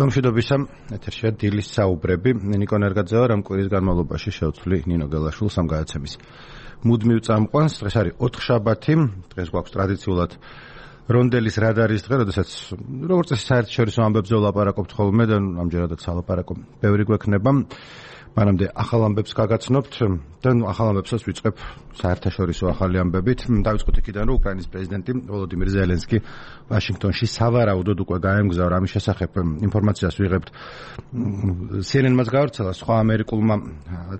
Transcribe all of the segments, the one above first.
მშვიდობისა, ეთერშია დილის საუბრები. ნიკო ნერგაძეა, რამ კვირის განმავლობაში შევცვლი ნინო გელაშვილს ამ გადაცემის მუდმივ წამყვანს. დღეს არის 4 შაბათი, დღეს გვაქვს ტრადიციულად რონდელის რადარის დღე, როდესაც როგორც წესი საერთაშორისო ამბებზე ვლაპარაკობთ ხოლმე და ამჯერადაც ალაპარაკო ბევრი გვექნება. მანამდე ახალ ამბებს გაგაცნობთ და ახალ ამბებსაც ვიწყებ საერთაშორისო ახალი ამბებით. დავიწყოთ იქიდან, რომ უკრაინის პრეზიდენტი ვოლოდიმირ ზელენსკი ვაშინგტონში სავარაუდოდ უკვე გაემგზავრა. ამის შესახებ ინფორმაციას ვიღებთ CNN-მაც გავრცელა, სხვა ამერიკულმა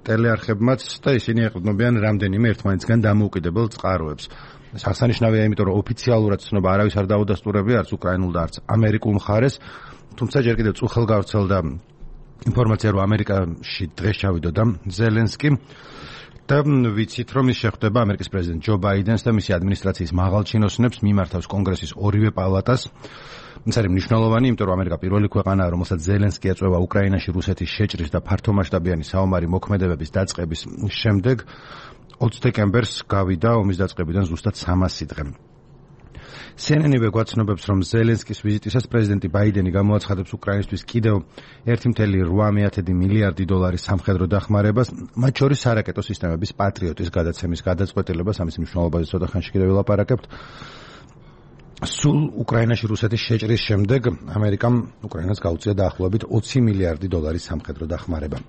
ტელეარხებმაც და ისინი ეყრდნობიან რამდენიმე ერთმანეთისგან დამოუკიდებელ წყაროებს. აღსანიშნავია, იმიტომ რომ ოფიციალურად ცნობა არავის არ დაუდასტურებია არც უკრაინულ და არც ამერიკულ მხარეს, თუმცა ჯერ კიდევ წუხელ გავრცელდა ინფორმაცია, რომ ამერიკაში დღეს ჩავიდოდა ზელენსკი და ვიცით, რომ ის შეხვდება ამერიკის პრეზიდენტ ჯო ბაიდენს და მისი ადმინისტრაციის მაღალჩინოსნებს, მიმართავს კონგრესის ორივე პალატას. ეს არის მნიშვნელოვანი, იმიტომ რომ ამერიკა პირველი ქვეყანაა, რომელსაც ზელენსკი ეწევა უკრაინაში რუსეთის შეჭრის და ფართომასშტაბიანი საომარი მოქმედებების დაწყების შემდეგ. 20 დეკემბერს გავიდა ომის დაწყებიდან ზუსტად 300 დღე. CNN-ივე გვაცნობებს, რომ ზელენსკის ვიზიტისას პრეზიდენტი ბაიდენი გამოაცხადებს უკრაინისთვის კიდევ 1,8 მილიარდი დოლარის სამხედრო დახმარებას, მათ შორის სარაკეტო სისტემების პატრიოტის გადაცემის გადაწყვეტილებას. ამის მნიშვნელობაზე ცოტა ხანში კიდევ ვილაპარაკებთ. სულ უკრაინაში რუსეთის შეჭრის შემდეგ ამერიკამ უკრაინას გაუწია დაახლოებით 20 მილიარდი დოლარის სამხედრო დახმარება.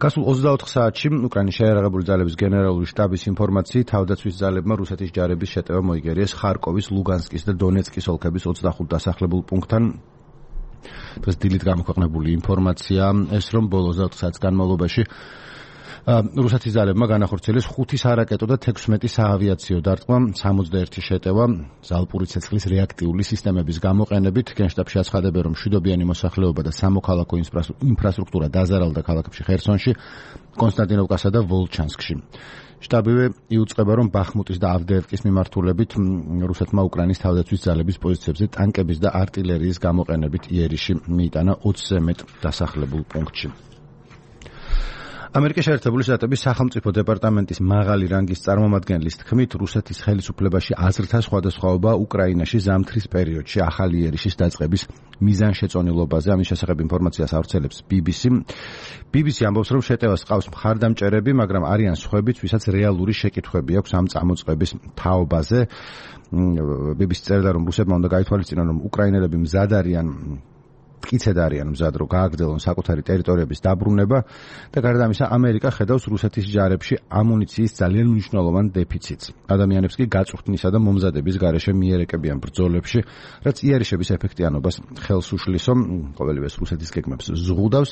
გასულ 24 საათში უკრაინის შეიარაღებული ძალების გენერალური შტაბის ინფორმაციით თავდაცვის ძალებმა რუსეთის ჯარების შეტევა მოიგერიეს ხარკოვის, ლუგანსკის და დონეცკის ოლქების 25 დასახლებულ პუნქტთან. დღეს დილით გამოქვეყნებული ინფორმაცია ეს, რომ ბოლო 24 საათის განმავლობაში რუსეთის ძალებმა განახორციელეს 5 სარაკეტო და 16 საავიაციო დარტყმა, 61 შეტევა ზალპური ცეცხლის რეაქტიული სისტემების გამოყენებით. გენშტაბში აცხადებენ, რომ მშვიდობიანი მოსახლეობა და სამოქალაქო ინფრასტრუქტურა დაზარალდა ქალაქებში ხერსონში, კონსტანტინოვკასა და ვოლჩანსკში. შტაბივე იუწყება, რომ ბახმუტის და ავდეევკის მიმართულებით რუსეთმა უკრაინის თავდაცვის ძალების პოზიციებზე ტანკების და არტილერიის გამოყენებით იერიში მიიტანა 20-ზე მეტ დასახლებულ პუნქტში. ამერიკის შეერთებული შტატების სახელმწიფო დეპარტამენტის მაღალი რანგის წარმომადგენლის თქმით, რუსეთის ხელისუფლებაში აზრთა სხვადასხვაობა უკრაინაში ზამთრის პერიოდში ახალი იერიშის დაწყების მიზანშეწონილობაზე. ამის შესახებ ინფორმაციას ავრცელებს BBC. BBC ამბობს, რომ შეტევას ყავს მხარდამჭერები, მაგრამ არიან სხვებიც, ვისაც რეალური შეკითხვები აქვს ამ წამოწყების თაობაზე. BBC წერდა, რომ რუსებმა უნდა გაითვალისწინონ, რომ უკრაინელები მზად არიან მტკიცედ არიან მზად, რომ გააგრძელონ საკუთარი ტერიტორიების დაბრუნება და გარდა ამისა ამერიკა ხედავს რუსეთის ჯარებში ამუნიციის ძალიან მნიშვნელოვან დეფიციტს. ადამიანებს კი გაწვრთნისა და მომზადების გარეშე მიერეკებიან ბრძოლებში, რაც იერიშების ეფექტიანობას ხელს უშლისო, ყოველივეს რუსეთის გეგმებს ზღუდავს,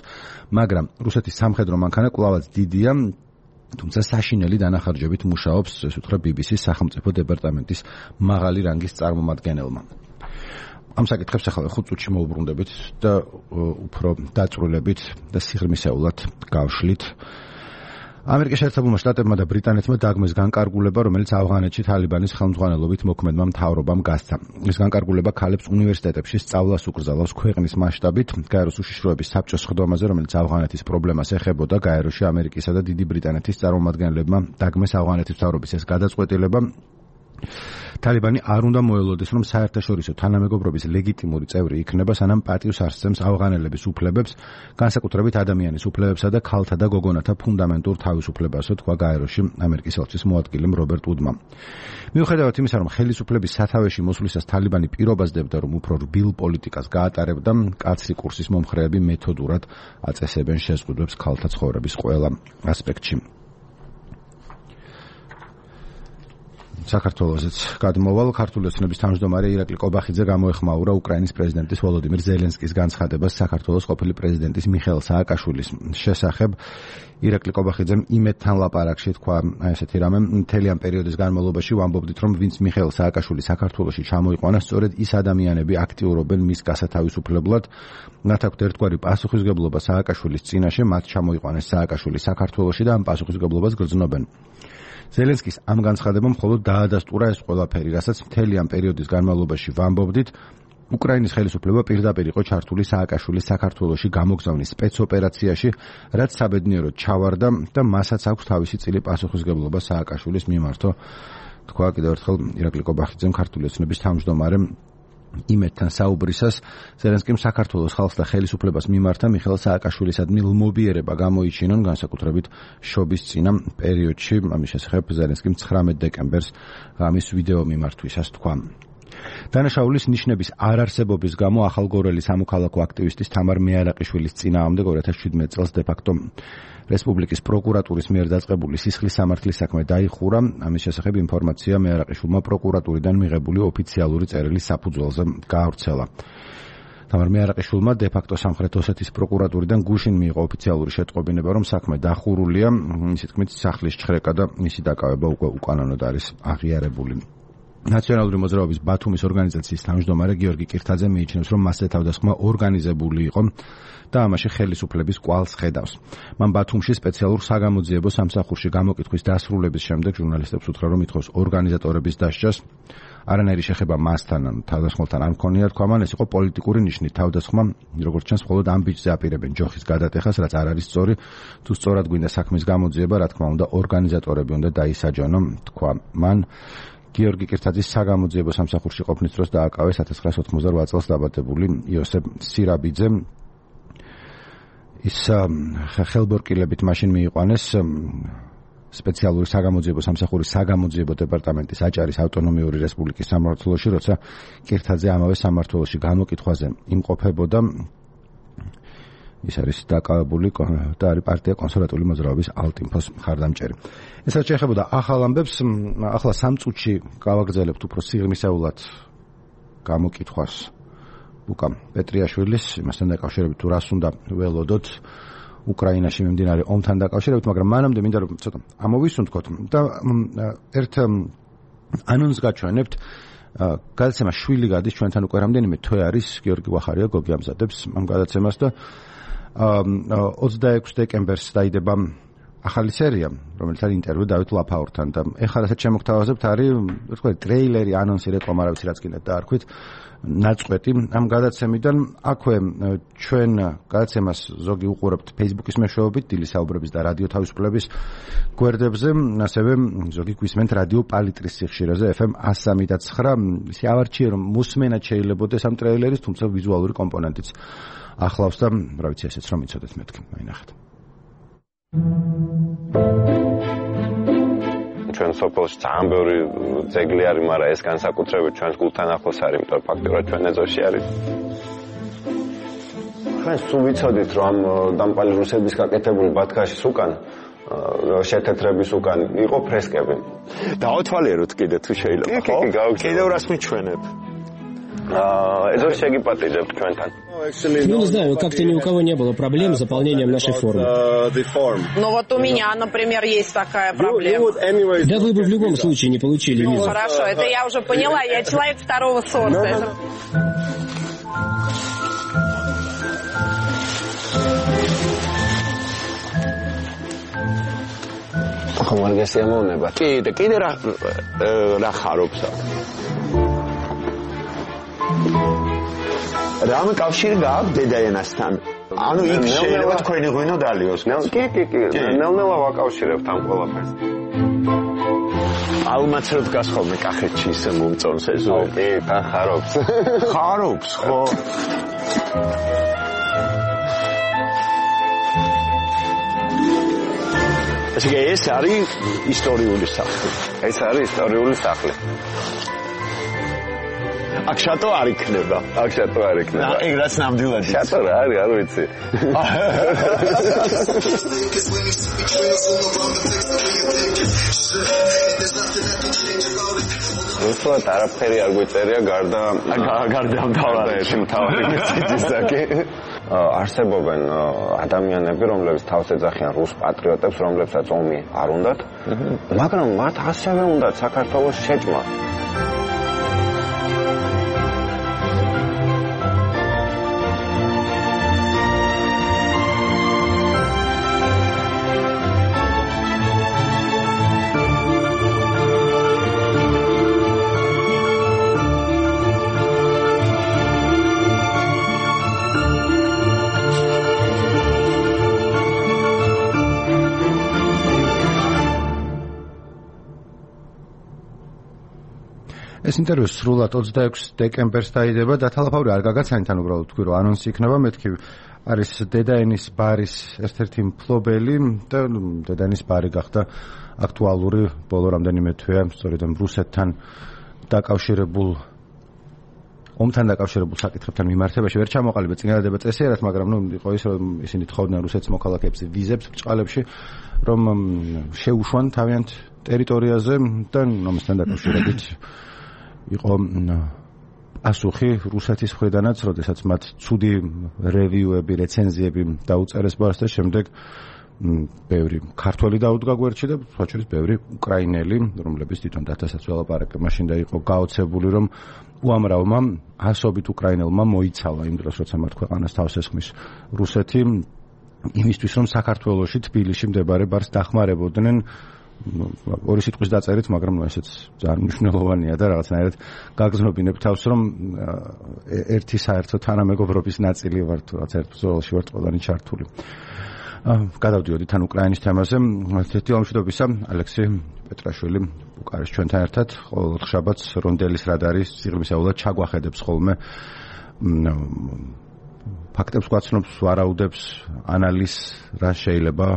მაგრამ რუსეთის სამხედრო მანქანა კვლავაც დიდია, თუმცა საშინელი დანახარჯებით მუშაობს, ეს უთხრა BBC-ს სახელმწიფო დეპარტამენტის მაღალი რანგის წარმომადგენელმა. ამ საკითხებს ახლა 5 წუთში მოვუბრუნდებით და უფრო დაწვრილებით და სიღრმისეულად გავშლით. ამერიკის შეერთებულმა შტატებმა და ბრიტანეთმა დაგმეს განკარგულება, რომელიც ავღანეთში თალიბანის ხელმძღვანელობით მოქმედმა მთავრობამ გასცა. ეს განკარგულება ქალებს უნივერსიტეტებში სწავლას უკრძალავს ქვეყნის მასშტაბით, გაეროს უშიშროების საბჭოს სხდომაზე, რომელიც ავღანეთის პრობლემას ეხებოდა. გაეროში ამერიკისა და დიდი ბრიტანეთის წარმომადგენლებმა დაგმეს ავღანეთის მთავრობის ეს გადაწყვეტილება. თალიბანი არ უნდა მოელოდეს, რომ საერთაშორისო თანამეგობრობის ლეგიტიმური წევრი იქნება, სანამ პატივს ასცემს ავღანელების უფლებებს, განსაკუთრებით ადამიანის უფლებებსა და ქალთა და გოგონათა ფუნდამენტურ თავისუფლებასო, თქვა გაეროში ამერიკის ელჩის მოადგილემ რობერტ უდმა. მიუხედავად იმისა, რომ ხელისუფლების სათავეში მოსვლისას თალიბანი პირობასდებდა, რომ უფრო რბილ პოლიტიკას გაატარებდა, მკაცრი კურსის მომხრეები მეთოდურად აწესებენ შეზღუდვებს ქალთა ცხოვრების ყველა ასპექტში. საქართველოსაც გადმოვალ. ქართული ოცნების თავმჯდომარე ირაკლი კობახიძე გამოეხმაურა უკრაინის პრეზიდენტის ვოლოდიმირ ზელენსკის განცხადებას საქართველოს ყოფილი პრეზიდენტის მიხეილ სააკაშვილის შესახებ. ირაკლი კობახიძემ იმედთან ლაპარაკში თქვა ესეთი რამე, მთელი ამ პერიოდის განმავლობაში ვამბობდით, რომ ვინც მიხეილ სააკაშვილი საქართველოში ჩამოიყვანა, სწორედ ის ადამიანები აქტიურობენ მის გასათავისუფლებლად. მათ აქვთ ერთგვარი პასუხისმგებლობა სააკაშვილის წინაშე, მათ ჩამოიყვანეს სააკაშვილი საქართველოში და ამ პასუხისმგებლობას გრძნობენ. ზელენსკის ამ განცხადებამ მხოლოდ დაადასტურა ეს ყველაფერი, რასაც მთელი ამ პერიოდის განმავლობაში ვამბობდით. უკრაინის ხელისუფლება პირდაპირ იყო ჩართული სააკაშვილის საქართველოში გამოგზავნის სპეცოპერაციაში, რაც საბედნიეროდ ჩავარდა და მასაც აქვს თავისი წილი პასუხისმგებლობა სააკაშვილის მიმართო. თქვა კიდევ ერთხელ ირაკლი კობახიძემ, ქართული ოცნების თავმჯდომარემ იმედთან საუბრისას ზელენსკიმ საქართველოს ხალხს და ხელისუფლებას მიმართა მიხეილ სააკაშვილისადმი ლმობიერება გამოიჩინონ, განსაკუთრებით შობის წინა პერიოდში. ამის შესახებ ზელენსკიმ 19 დეკემბერს ღამის ვიდეო მიმართვისას თქვა. დანაშაულის ნიშნების არარსებობის გამო ახალგორელი სამოქალაქო აქტივისტის თამარ მეარაყიშვილის წინააღმდეგ 2017 წელს დე-ფაქტო რესპუბლიკის პროკურატურის მიერ დაწყებული სისხლის სამართლის საქმე დაიხურა. ამის შესახებ ინფორმაცია მეარაყიშვილმა პროკურატურიდან მიღებული ოფიციალური წერილის საფუძველზე გაავრცელა. თამარ მეარაყიშვილმა დე-ფაქტო სამხრეთ ოსეთის პროკურატურიდან გუშინ მიიღო ოფიციალური შეტყობინება, რომ საქმე დახურულია. მისი თქმით, სახლის ჩხრეკა და მისი დაკავება უკვე უკანონოდ არის აღიარებული. ნაციონალური მოძრაობის ბათუმის ორგანიზაციის თავმჯდომარე გიორგი კირთაძე მიიჩნევს, რომ მასზე თავდასხმა ორგანიზებული იყო და ამაში ხელისუფლების კვალს ხედავს. მან ბათუმში სპეციალურ საგამოძიებო სამსახურში გამოკითხვის დასრულების შემდეგ ჟურნალისტებს უთხრა, რომ ითხოვს ორგანიზატორების დასჯას. არანაირი შეხება მასთან ან თავდასხმელთან არ მქონია, თქვა მან, ეს იყო პოლიტიკური ნიშნით. თავდასხმა, როგორც ჩანს, მხოლოდ ამ ბიჭზე აპირებენ ჯოხის გადატეხას, რაც არ არის სწორი. თუ სწორად გვინდა საქმის გამოძიება, რა თქმა უნდა, ორგანიზატორები უნდა დაისაჯანო, თქვა მან. გიორგი კირთაძის საგამოძიებო სამსახურში ყოფნის დროს დააკავეს 1998 წელს დაბადებული იოსებ სირაბიძე. ის ხელბორკილებით მაშინ მიიყვანეს სპეციალური საგამოძიებო სამსახურის საგამოძიებო დეპარტამენტის აჭარის ავტონომიური რესპუბლიკის სამმართველოში, როცა კირთაძე ამავე სამმართველოში განმოკითხვაზე იმყოფებოდა. ის არის დაკავებული და არის პარტია კონსერვატიული მოძრაობის ალტინფოს მხარდამჭერი. ესაც შეეხებოდა ახალ ამბებს, ახლა 3 წუთში გავაგრძელებთ უფრო სიღრმისეულად გამოკითხვას ლუკა პეტრიაშვილის, იმასთან დაკავშირებით თუ რას უნდა ველოდოთ უკრაინაში მიმდინარე ომთან დაკავშირებით, მაგრამ მანამდე მინდა რომ ცოტა ამოვისუნთქოთ და ერთ ანონსს გაჩვენებთ. გადაცემა შვილი გადის ჩვენთან უკვე რამდენიმე თვე არის, გიორგი ვახარია გოგი ამზადებს ამ გადაცემას და 26 დეკემბერს დაიდება ახალი სერია, რომელიც არის ინტერვიუ დავით ლაფაურთან და ეხლა რასაც შემოგთავაზებთ არის, თქვა ტრეილერი, ანონსი, რეკლამა, რა ვიცი რაც კიდე დაარქვით, ნაწყვეტი ამ გადაცემიდან. აქვე ჩვენ გადაცემას ზოგი უყურებთ Facebook-ის მეშვეობით, დილის საუბრების და რადიო თავისუფლების გვერდებზე, ასევე ზოგი გვისმენთ რადიო პალიტრის სიხშირეზე FM 103.9. ისე ავარჩიე რომ მოსმენად შეიძლებაოდეს ამ ტრეილერის, თუმცა ვიზუალური კომპონენტიც ახლავს და რა ვიცი ესეც რომ იცოდეთ მეთქი, მაინახეთ. ჩვენ სოფელში ძალიან ბევრი ძეგლი არის, მაგრამ ეს განსაკუთრებით ჩვენს გულთან ახლოს არის, იმიტომ ფაქტობრივად ჩვენ ეზოში არის. ჩვენ სულ ვიცოდით, რომ დამპალი რუსების გაკეთებული ბათქაშის უკან, შეთეთრების უკან იყო ფრესკები. დაავთვალიეროთ კიდე თუ შეიძლება, ხო? კიდევ რას მიჩვენებ? ეზოში შეგიპატიჟებთ ჩვენთან. Ну, не знаю, как-то ни у кого не было проблем с заполнением нашей формы. Ну вот у меня, например, есть такая проблема. Да вы бы в любом случае не получили визу. Хорошо, это я уже поняла, я человек второго сорта. ხომარგესია მოუნება. კიდე რა ხარობს აქ? რამე კავშირი გააქვს დედაენასთან? ანუ იქ შეიძლება თქვენი ღვინო დალიოს. კი, ნელ-ნელა ვაკავშირებთ ამ ყველაფერს. ალმაცროდ გას ხოლმე კახეთში ისე მომწონს ეს ო? კი, თან ხარობს. ხარობს, ხო? ეს არის ისტორიული სახლი. ეს არის ისტორიული სახლი. აქ შატო არ იქნება. აქ შატო არ იქნება. ეგ რაც ნამდვილად შატო რა არის, არ ვიცი. რუსულად არაფერი არ გვიწერია გარდა ამ თავარში მთავარი მესიჯისაკი. არსებობენ ადამიანები, რომლებიც თავს ეძახიან რუს პატრიოტებს, რომლებსაც ომი არ უნდათ, მაგრამ მათ ასევე უნდათ საქართველოს შეჭმა. ეს ინტერვიუ სრულად 26 დეკემბერს დაიდება და თალაფავრი არ გაგაცანით, ანუ უბრალოდ თქვი რომ ანონსი იქნება, მეთქი არის დედაენის ბარის ერთ-ერთი მფლობელი და დედაენის ბარი გახდა აქტუალური ბოლო რამდენიმე თვეა, სწორედ რუსეთთან დაკავშირებულ ომთან დაკავშირებულ საკითხებთან მიმართებაში ვერ ჩამოყალიბე წინადადება წესიერად, მაგრამ იყო ის რომ ისინი თხოვდნენ რუსეთის მოქალაქეებს ვიზებს ბრჭყალებში, რომ შეუშვან თავიანთ ტერიტორიაზე და ომთან დაკავშირებით იყო ასუხი რუსეთის მხრიდანაც, როდესაც მათ ცუდი რევიუები, რეცენზიები დაუწერეს ბარს და შემდეგ ბევრი ქართველი დაუდგა გვერდში და სხვაჩვერის ბევრი უკრაინელი, რომლებიც თვითონ დათასაც ველაპარაკე მაშინ და იყო გაოცებული, რომ უამრავმა ასობით უკრაინელმა მოიცალა იმ დროს, როცა მათ ქვეყანას თავს ესხმის რუსეთი, იმისთვის, რომ საქართველოში, თბილისში მდებარე ბარს დახმარებოდნენ. ორი სიტყვის დაწერით, მაგრამ ესეც ძალიან მნიშვნელოვანია და რაღაცნაირად გაგზნობინებ თავს, რომ ერთი საერთო თანამეგობრობის ნაწილი ვართ, რაც ერთ ბრძოლაში ვართ ყველანი ჩართული. გადავდიოდით თან უკრაინის თემაზე. თეთრი ომშვიდობისა, ალექსი პეტრაშვილი უკარეს ჩვენთან ერთად, ყოველ შაბათს რონდელის რადარის სიღრმისეულად ჩაგვახედებს ხოლმე ფაქტებს გვაცნობს, ვარაუდებს, ანალიზს, რა შეიძლება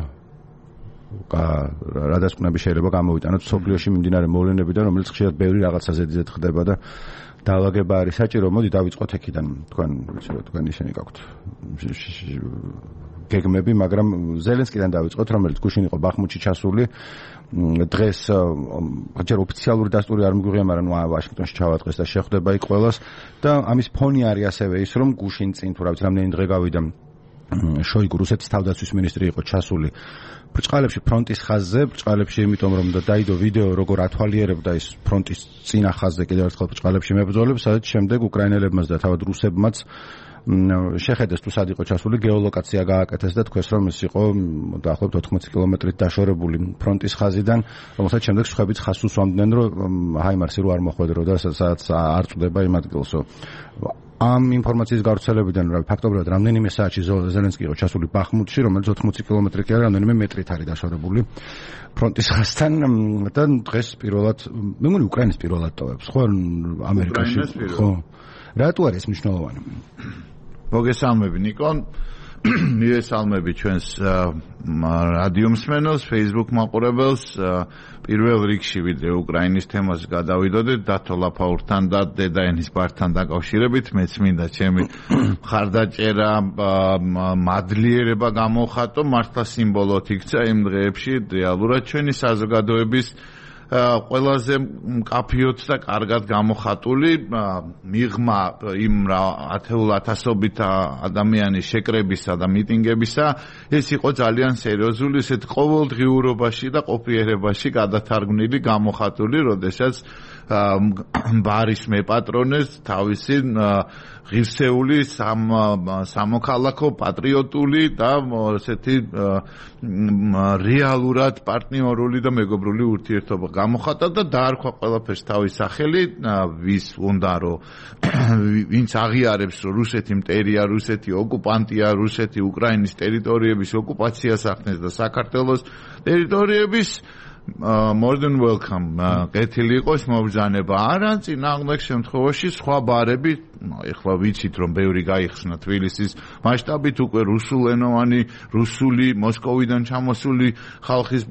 რადასკვნები შეიძლება გამოვიტანოთ სოფლიოში მიმდინარე მოვლენებიდან, რომელიც ხშირად ბევრი რაღაცაზე ძეთ ხდება და დაალაგება არის საჭირო. მოდი დავიწყოთ აქედან. თქვენ ისინი გაქვთ გეგმები, მაგრამ ზელენსკიდან დავიწყოთ, რომელიც გუშინ იყო ბახმუთში ჩასული. დღეს ჯერ ოფიციალური დასტური არ მიგვიღია, მაგრამ ვაშინგტონში ჩავატყეს და შეხვდება იქ ყველას და ამის ფონი არის ასევე ის, რომ გუშინ წინ თუ რა ვიცი რამდენი დღე გავიდა შოიგუ რუსეთის თავდაცვის მინისტრი იყო ჩასული ბრჭყალებში ფრონტის ხაზზე, ბრჭყალებში იმიტომ რომ დაიდო ვიდეო როგორ ათვალიერებდა ის ფრონტის წინა ხაზზე კიდევ ერთხელ ბრჭყალებში მებრძოლებს, სადაც შემდეგ უკრაინელებმაც და თავად რუსებმაც შეხედეს თუ სად იყო czasული, გეოლოკაცია გააკეთეს და თქვეს რომ ეს იყო დაახლოებით 80 კილომეტრით დაშორებული ფრონტის ხაზიდან, რომელსაც შემდეგ სხვაებიც ხაზს უსვამდნენ, რომ ჰაიმარსი რო არ მოხვედრო და სადაც არ წვდება იმ ადგილსო. ამ ინფორმაციის გავრცელებიდან ფაქტობრივად რამდენიმე საათში ზელენსკი იყო ჩასული ბახმუთში, რომელიც 80 კილომეტრი კი არა, რამდენიმე მეტრით არის დაშორებული ფრონტის ხაზთან და დღეს პირველად, მე მგონი უკრაინის პირველად ტოვებს, ხო, ამერიკაში, ხო. რატო არის მნიშვნელოვანი? მოგესალმები ნიკო, მივესალმები ჩვენს რადიო მსმენელს, Facebook მაყურებელს, პირველ რიგში ვიდრე უკრაინის თემას გადავიდოდეთ, დათო ლაფაურთან და დედაენის ბართან დაკავშირებით, მეც მინდა ჩემი მხარდაჭერა, მადლიერება გამოვხატო, მართლა სიმბოლოთ იქცა იმ დღეებში რეალურად ჩვენი საზოგადოების ყველაზე მკაფიოდ და კარგად გამოხატული მიღმა იმ ათეულათასობით ადამიანის შეკრებისა და მიტინგებისა, ეს იყო ძალიან სერიოზული, ესეთ ყოველდღიურობაში და ყოფიერებაში გადათარგმნილი გამოხატული, როდესაც ბარის მეპატრონეს თავისი ღირსეული სამოქალაქო პატრიოტული და ესეთი რეალურად პარტნიორული და მეგობრული ურთიერთობა გამოხატა და დაარქვა ყველაფერს თავის სახელი, ვის უნდა რომ ვინც აღიარებს რომ რუსეთი მტერია, რუსეთი ოკუპანტია, რუსეთი უკრაინის ტერიტორიების ოკუპაციას ახდენს და საქართველოს ტერიტორიების more than welcome. კეთილი იყოს მობრძანება. არა, წინააღმდეგ შემთხვევაში სხვა ბარები, ეხლა ვიცით რომ ბევრი გაიხსნა თბილისის მასშტაბით უკვე რუსულენოვანი, რუსული მოსკოვიდან ჩამოსული ხალხის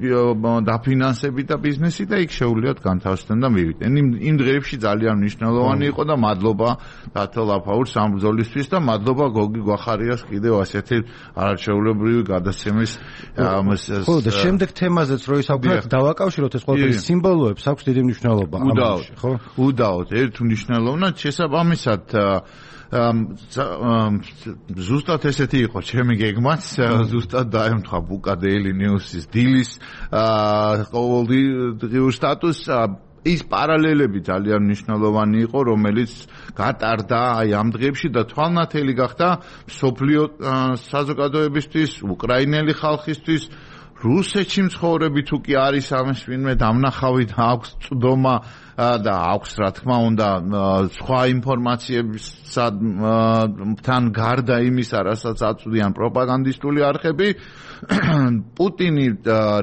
დაფინანსებით და ბიზნესი და იქ შეუძლიათ განთავსდნენ და მივიდნენ. იმ დღეებში ძალიან მნიშვნელოვანი იყო და მადლობა დათო ლაფაურს ამ ბრძოლისთვის და მადლობა გოგი გვახარიას კიდევ ასეთი არაჩვეულებრივი გადაცემის ხო და შემდეგ თემაზეც რო ისაუბრეთ დავაკავშიროთ ეს ყველაფერი სიმბოლოებს აქვს დიდი მნიშვნელობა ამაში, ხო? უდაოდ, ერთ მნიშვნელოვნად შესაბამისად ზუსტად ესეთი იყო ჩემი გეგმაც, ზუსტად დაემთხვა ბუკა Daily News-ის დილის ყოველდღიურ სტატუსს. ის პარალელები ძალიან მნიშვნელოვანი იყო, რომელიც გატარდა აი ამ დღეებში და თვალნათელი გახდა მსოფლიო საზოგადოებისთვის, უკრაინელი ხალხისთვის, რუსეთში მცხოვრები თუ კი არის ამის ვინმე დამნახავი და აქვს წვდომა და აქვს რა თქმა უნდა სხვა ინფორმაციებთან გარდა იმისა, რასაც აწვდიან პროპაგანდისტული არხები, პუტინი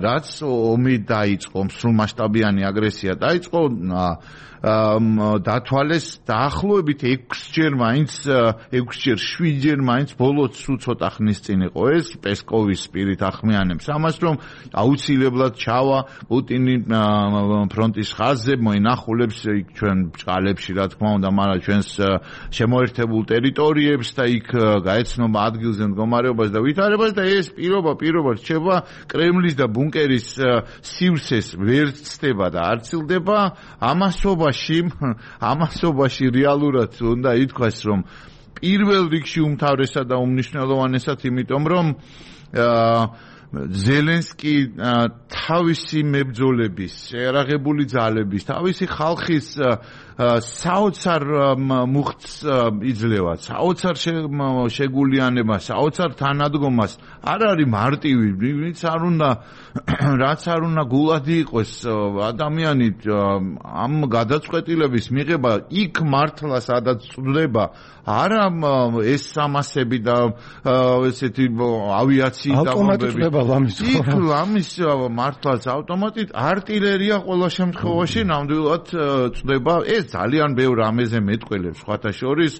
რაც ომი დაიწყო, მსრულმასშტაბიანი აგრესია დაიწყო, დათვალეს დაახლოებით 6-ჯერ მაინც 7-ჯერ მაინც ბოლოს ცოტა ხნის წინ იყო ეს პესკოვის პირით ახმიანებს ამას, რომ აუცილებლად ჩავა პუტინი ფრონტის ხაზზე, მოინახულებს ჩვენ ბჭყალებში რა თქმა უნდა, მაგრამ ჩვენს შემოერთებულ ტერიტორიებს და იქ გაეცნობა ადგილზე მდგომარეობას და ვითარებას და ეს პირობა რჩება კრემლის და ბუნკერის სივრცეს ვერ ცდება და არ ცილდება ამასობაში რეალურად უნდა ითქვას, რომ პირველ რიგში უმთავრესად და უმნიშვნელოვანესად, იმიტომ რომ ზელენსკი თავისი მებრძოლების, შეერაღებული ძალების, თავისი ხალხის საოცარ მუხტს იძლევა, საოცარ შეგულიანებას, საოცარ თანადგომას. არ არის მარტივი, რაც არ უნდა გულადი იყოს ადამიანი ამ გადაწყვეტილების მიღება იქ მართლა სადაც წვდება, არა ეს სამასები და ესეთი ავიაციით ავტომატით ამის მართლაც ავტომატით артиლერია ყველა შემთხვევაში ნამდვილად წვდება. ეს ძალიან ბევრ ამეზე მეტყველებს, სხვათა შორის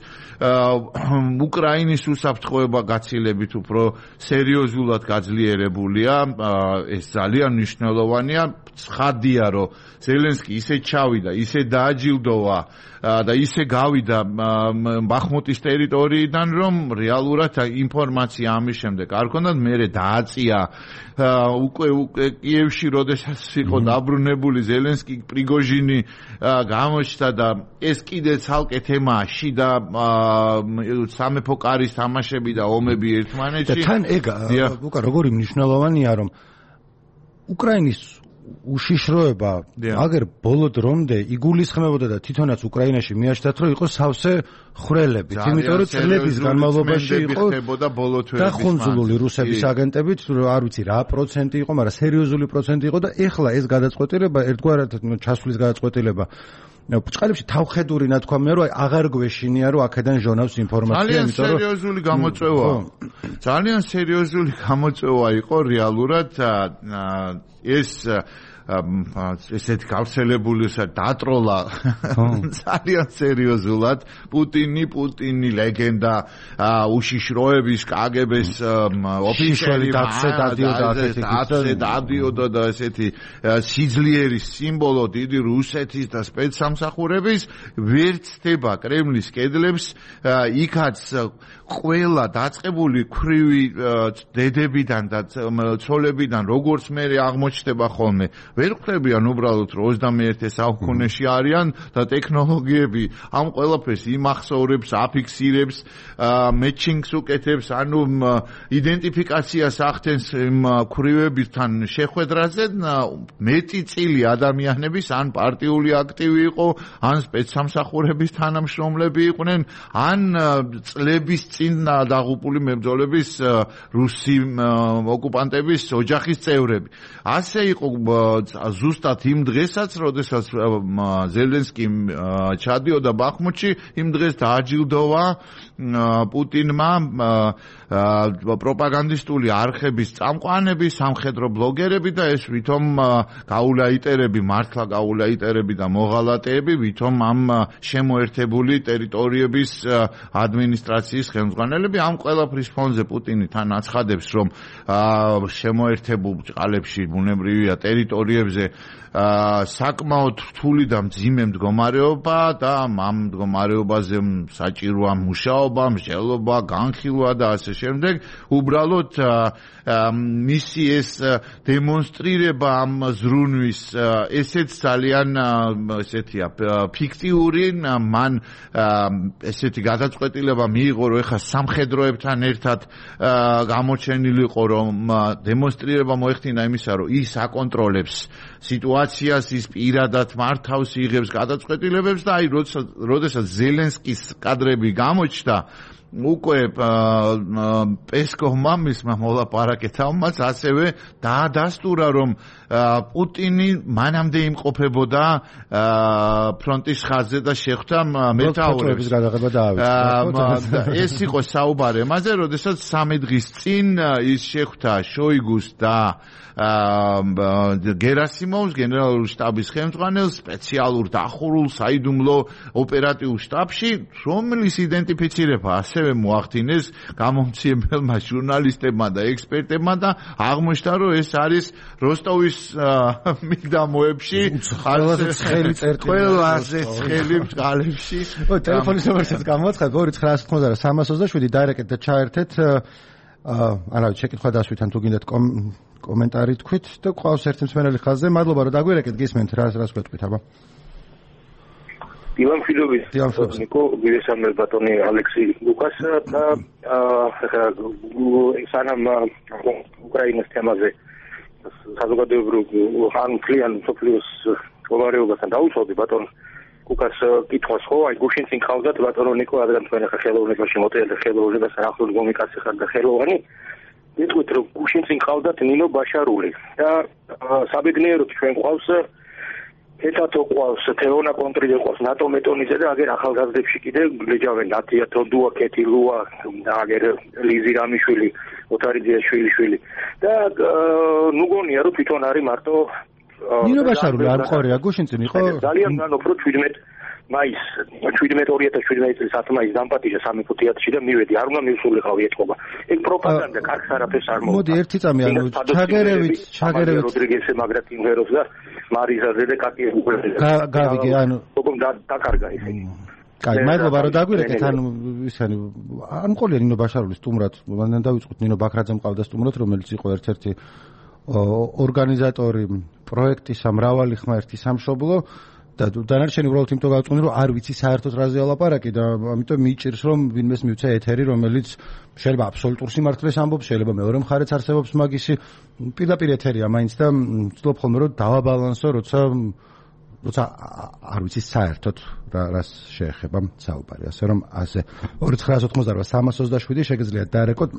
უკრაინის უსაფრთხოება გაცილებით უფრო სერიოზულად გაძლიერებულია. ეს ძალიან მნიშვნელოვანია. ცხადია, რომ ზელენსკი ისე ჩავიდა, ისე დააჯილდოვა და ისე გავიდა ბახმუტის ტერიტორიიდან, რომ რეალურად ინფორმაცია ამის შემდეგ არ ქონდათ. მერე დააწია უკვე კიევში, როდესაც იყო დაბრუნებული ზელენსკი, პრიგოჟინი გამოჩნდა და ეს კიდე ცალკე თემაა, შიდა სამეფო კარის თამაშები და ომები ერთმანეთში. და თან ეგ უკა როგორი მნიშვნელოვანია, რომ უკრაინის უშიშროება აგერ ბოლო დრომდე იგულისხმებოდა და თვითონაც უკრაინაში მიაჩნდათ, რომ იყო სავსე ხრელებით, იმიტომ რომ წლების განმავლობაში იყო დახუნძულული რუსების აგენტებით, არ ვიცი რა პროცენტი იყო, მაგრამ სერიოზული პროცენტი იყო და ეხლა ეს გადაწყვეტილება ერთგვარად ჩასვლის გადაწყვეტილება ბჭყალებში თავხედური ნათქვამია, რომ აღარ გვეშინია, რომ აქედან ჟონავს ინფორმაცია, იმიტომ რომ ძალიან სერიოზული გამოწვევა იყო რეალურად ეს ესეთ გავრცელებული დატროლა ძალიან სერიოზულად პუტინი ლეგენდა უშიშროების კგბ-ს ოფიციალი დადიოდა და ესეთი სიძლიერის სიმბოლო დიდი რუსეთის და სპეცსამსახურების ვერ ცდება კრემლის კედლებს. იქაც ყველა დაწყებული ქვრივი დედებიდან და ცოლებიდან როგორც მე აღმოჩნდება ხოლმე ვერ ხვდებიან უბრალოდ 21 საუკუნეში არიან და ტექნოლოგიები ამ ყველაფერს იმახსოვრებს, აფიქსირებს, მეჩინგს უკეთებს, ანუ იდენტიფიკაციას ახდენს იმ ქვრივებთან შეხვედრაზე. მეტი წილი ადამიანების ან პარტიული აქტივი იყო, ან სპეცსამსახურების თანამშრომლები იყვნენ, ან წლების წინ დაღუპული მებრძოლების რუსი ოკუპანტების ოჯახის წევრები. ასე იყო ზუსტად იმ დღესაც, როდესაც ზელენსკი ჩადიოდა ბახმუტში, იმ დღეს დააჯილდოვა პუტინმა პროპაგანდისტული არხების წამყვანები, სამხედრო ბლოგერები და ეს ვითომ გაულაიტერები, მართლა გაულაიტერები და მოღალატეები, ვითომ ამ შემოერთებული ტერიტორიების ადმინისტრაციის ხელმძღვანელები. ამ ყველაფრის ფონზე პუტინი თან აცხადებს, რომ შემოერთებულ ბჭყალებში ბუნებრივია ტერიტორიებზე საკმაოდ რთული და მძიმე მდგომარეობა და ამ მდგომარეობაზე საჭიროა მუშაობა, მსჯელობა, განხილვა და ასე შემდეგ. უბრალოდ მისი ეს დემონსტრირება ამ ზრუნვის ესეც ძალიან ესეთია ფიქტიური. მან ესეთი გადაწყვეტილება მიიღო, რომ ეხლა სამხედროებთან ერთად გამოჩენილიყო, რომ დემონსტრირება მოეხდინა იმისა, რომ ის აკონტროლებს სიტუაციას, ის პირადად მართავს, იღებს გადაწყვეტილებებს და აი როდესაც ზელენსკის კადრები გამოჩნდა, უკვე პესკოვმა მისმა მოლაპარაკეთავმაც ასევე დაადასტურა, რომ პუტინი მანამდე იმყოფებოდა ფრონტის ხაზზე და შეხვდა მეთაურებს. ეს იყო საუბარი ამაზე, როდესაც 3 დღის წინ ის შეხვდა შოიგუს და გერასიმოვს, გენერალური შტაბის ხელმძღვანელს, სპეციალურ დახურულ საიდუმლო ოპერატიულ შტაბში, რომლის იდენტიფიცირება ასევე მოახდინეს გამომცემელმა ჟურნალისტებმა და ექსპერტებმა და აღმოჩნდა, რომ ეს არის როსტოვის მიდამოებში ყველაზე ცხელი წერტილი. ყველაზე ცხელი ბრძოლებში. ტელეფონის ნომერსაც გამოაცხადე 2990-327 დაირექტეთ და ჩაერთეთ. არავით შეკითხვა დასვით ან თუ გინდათ კომენტარი თქვით და ყავს ერთი მსმენელი ხაზზე. მადლობა რომ დაგვირეკეთ, გისმენთ რას გვეტყვით აბა. ივან ფილოვის ნიკო გირესამელ ბატონი ალექსი ლუკას და სანამ უკრაინის თემაზე საზოგადოებრივ ან კლიან სოფლიოს მდგომარეობასთან დაუწოვდი ბატონ უკას კითხვას ხო აი გუშინ წინ ხავდათ ბატონო ნიკო რადგან თქვენ ახლა ხელოვნებაში მოტელდა ხელოვნებასთან ახლოს გომიკაცი ხარ და ხელოვანი მეთქვით რომ გუშინ წინ ხავდათ ნინო ბაშარული და საბედნიეროდ ჩვენ ყავს ეთათო ყავს თეონა კონტრიდე ყავს ნატო მეტონიზე და აგერ ახალგაზრდებში კიდე ლეჯავენ ნათიათო დუა კეთი ლუა და აგერ ლიზი რამიშვილი ოთარიძეაშვილი და ნუ გონია რომ თვითონ არის მარტო ნინო ბაშარული არ მყორია გუშინ წინ იყო ძალიან განოფრო 17 მაის 2017 წლის 10 მაისს დამპატიჟა სამეფო თეატრში და მივედი არ უნდა მივსულიყავი ეთქობა ეგ პროპაგანდა კარგს არაფერს არ მოვა მოდი ერთი წამი ანუ ჩაგერევით როდრიგესე მაგრატი მღეროს და მარიზაზე და კატი გავიგე ანუ დაკარგა ესე კაი მადლობა რომ დაგვირეკეთ ანუ ისანი არ მყოლია ნინო ბაშარული სტუმრად მანდ დავიწყოთ ნინო ბაქრაძე მყავდა სტუმრად რომელიც იყო ერთ-ერთი ორგანიზატორი პროექტის მრავალი ხმერთი სამშობლო და დანარჩენი უბრალოდ იმიტომ გავწყვეტი რომ არ ვიცი საერთოდ რაზე ალაპარაკი და ამიტომ მიჭირს რომ ვინმეს მივცე ეთერი რომელიც შეიძლება აბსოლუტურ სიმართლეს ამბობს შეიძლება მეორე მხარეც არსებობს მაგისი პირდაპირ ეთერია მაინც და ვცდილობ ხოლმე რომ დავაბალანსო როცა არ ვიცი საერთოდ რას შეეხება საუბარი ასე რომ ასე 2988-327 შეგიძლიათ დაერეკოთ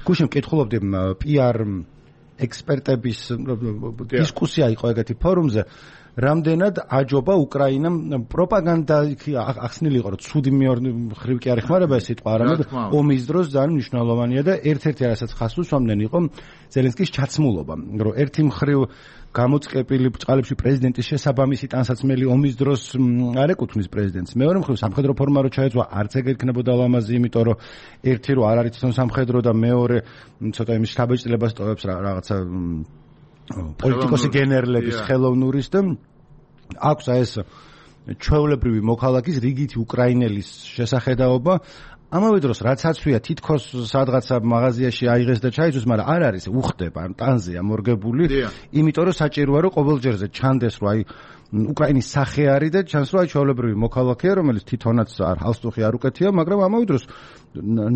გუშინ მკითხულობდი PR ექსპერტების დისკუსია იყო ეგეთი ფორუმზე რამდენად აჯობა უკრაინამ პროპაგანდა ახსნილი იყო რომ ცუდი მხრივ კი არ ეხმარება ეს სიტყვა არამედ ომის დროს ძალიან მნიშვნელოვანია და ერთ-ერთი რასაც ხაზს უსვამდნენ იყო ზელენსკის ჩაცმულობა რომ ერთი მხრივ გამოწყებილი ბრძოლებში პრეზიდენტის შესაბამისი ტანსაცმელი ომის დროს არ ეკუთვნის პრეზიდენტს მეორე მხრივ სამხედრო ფორმა რო ჩაეწვა არც ეგ ექნებოდა ლამაზი იმიტომ რომ ერთი რო არ არის თვითონ სამხედრო და მეორე ცოტა იმის შთაბეჭდილებას ტოვებს რაღაცა პოლიტიკოსი გენერლების ხელოვნურის და აქვს ეს ჩვეულებრივი მოქალაქის რიგითი უკრაინელის შესახედაობა ამავე დროს რაც აცვია თითქოს სადღაცა მაღაზიაში აიღეს და ჩაიწვის, მაგრამ არ არის უხდება, ტანზეა მორგებული, იმიტომ რომ საჭიროა რომ ყოველჯერზე ჩანდეს რომ აი უკრაინის სახე არის და ჩანს რომ აი ჩვეულებრივი მოქალაქეა, რომელიც თვითონაც ჰალსტუხი არ უკეთია, მაგრამ ამავე დროს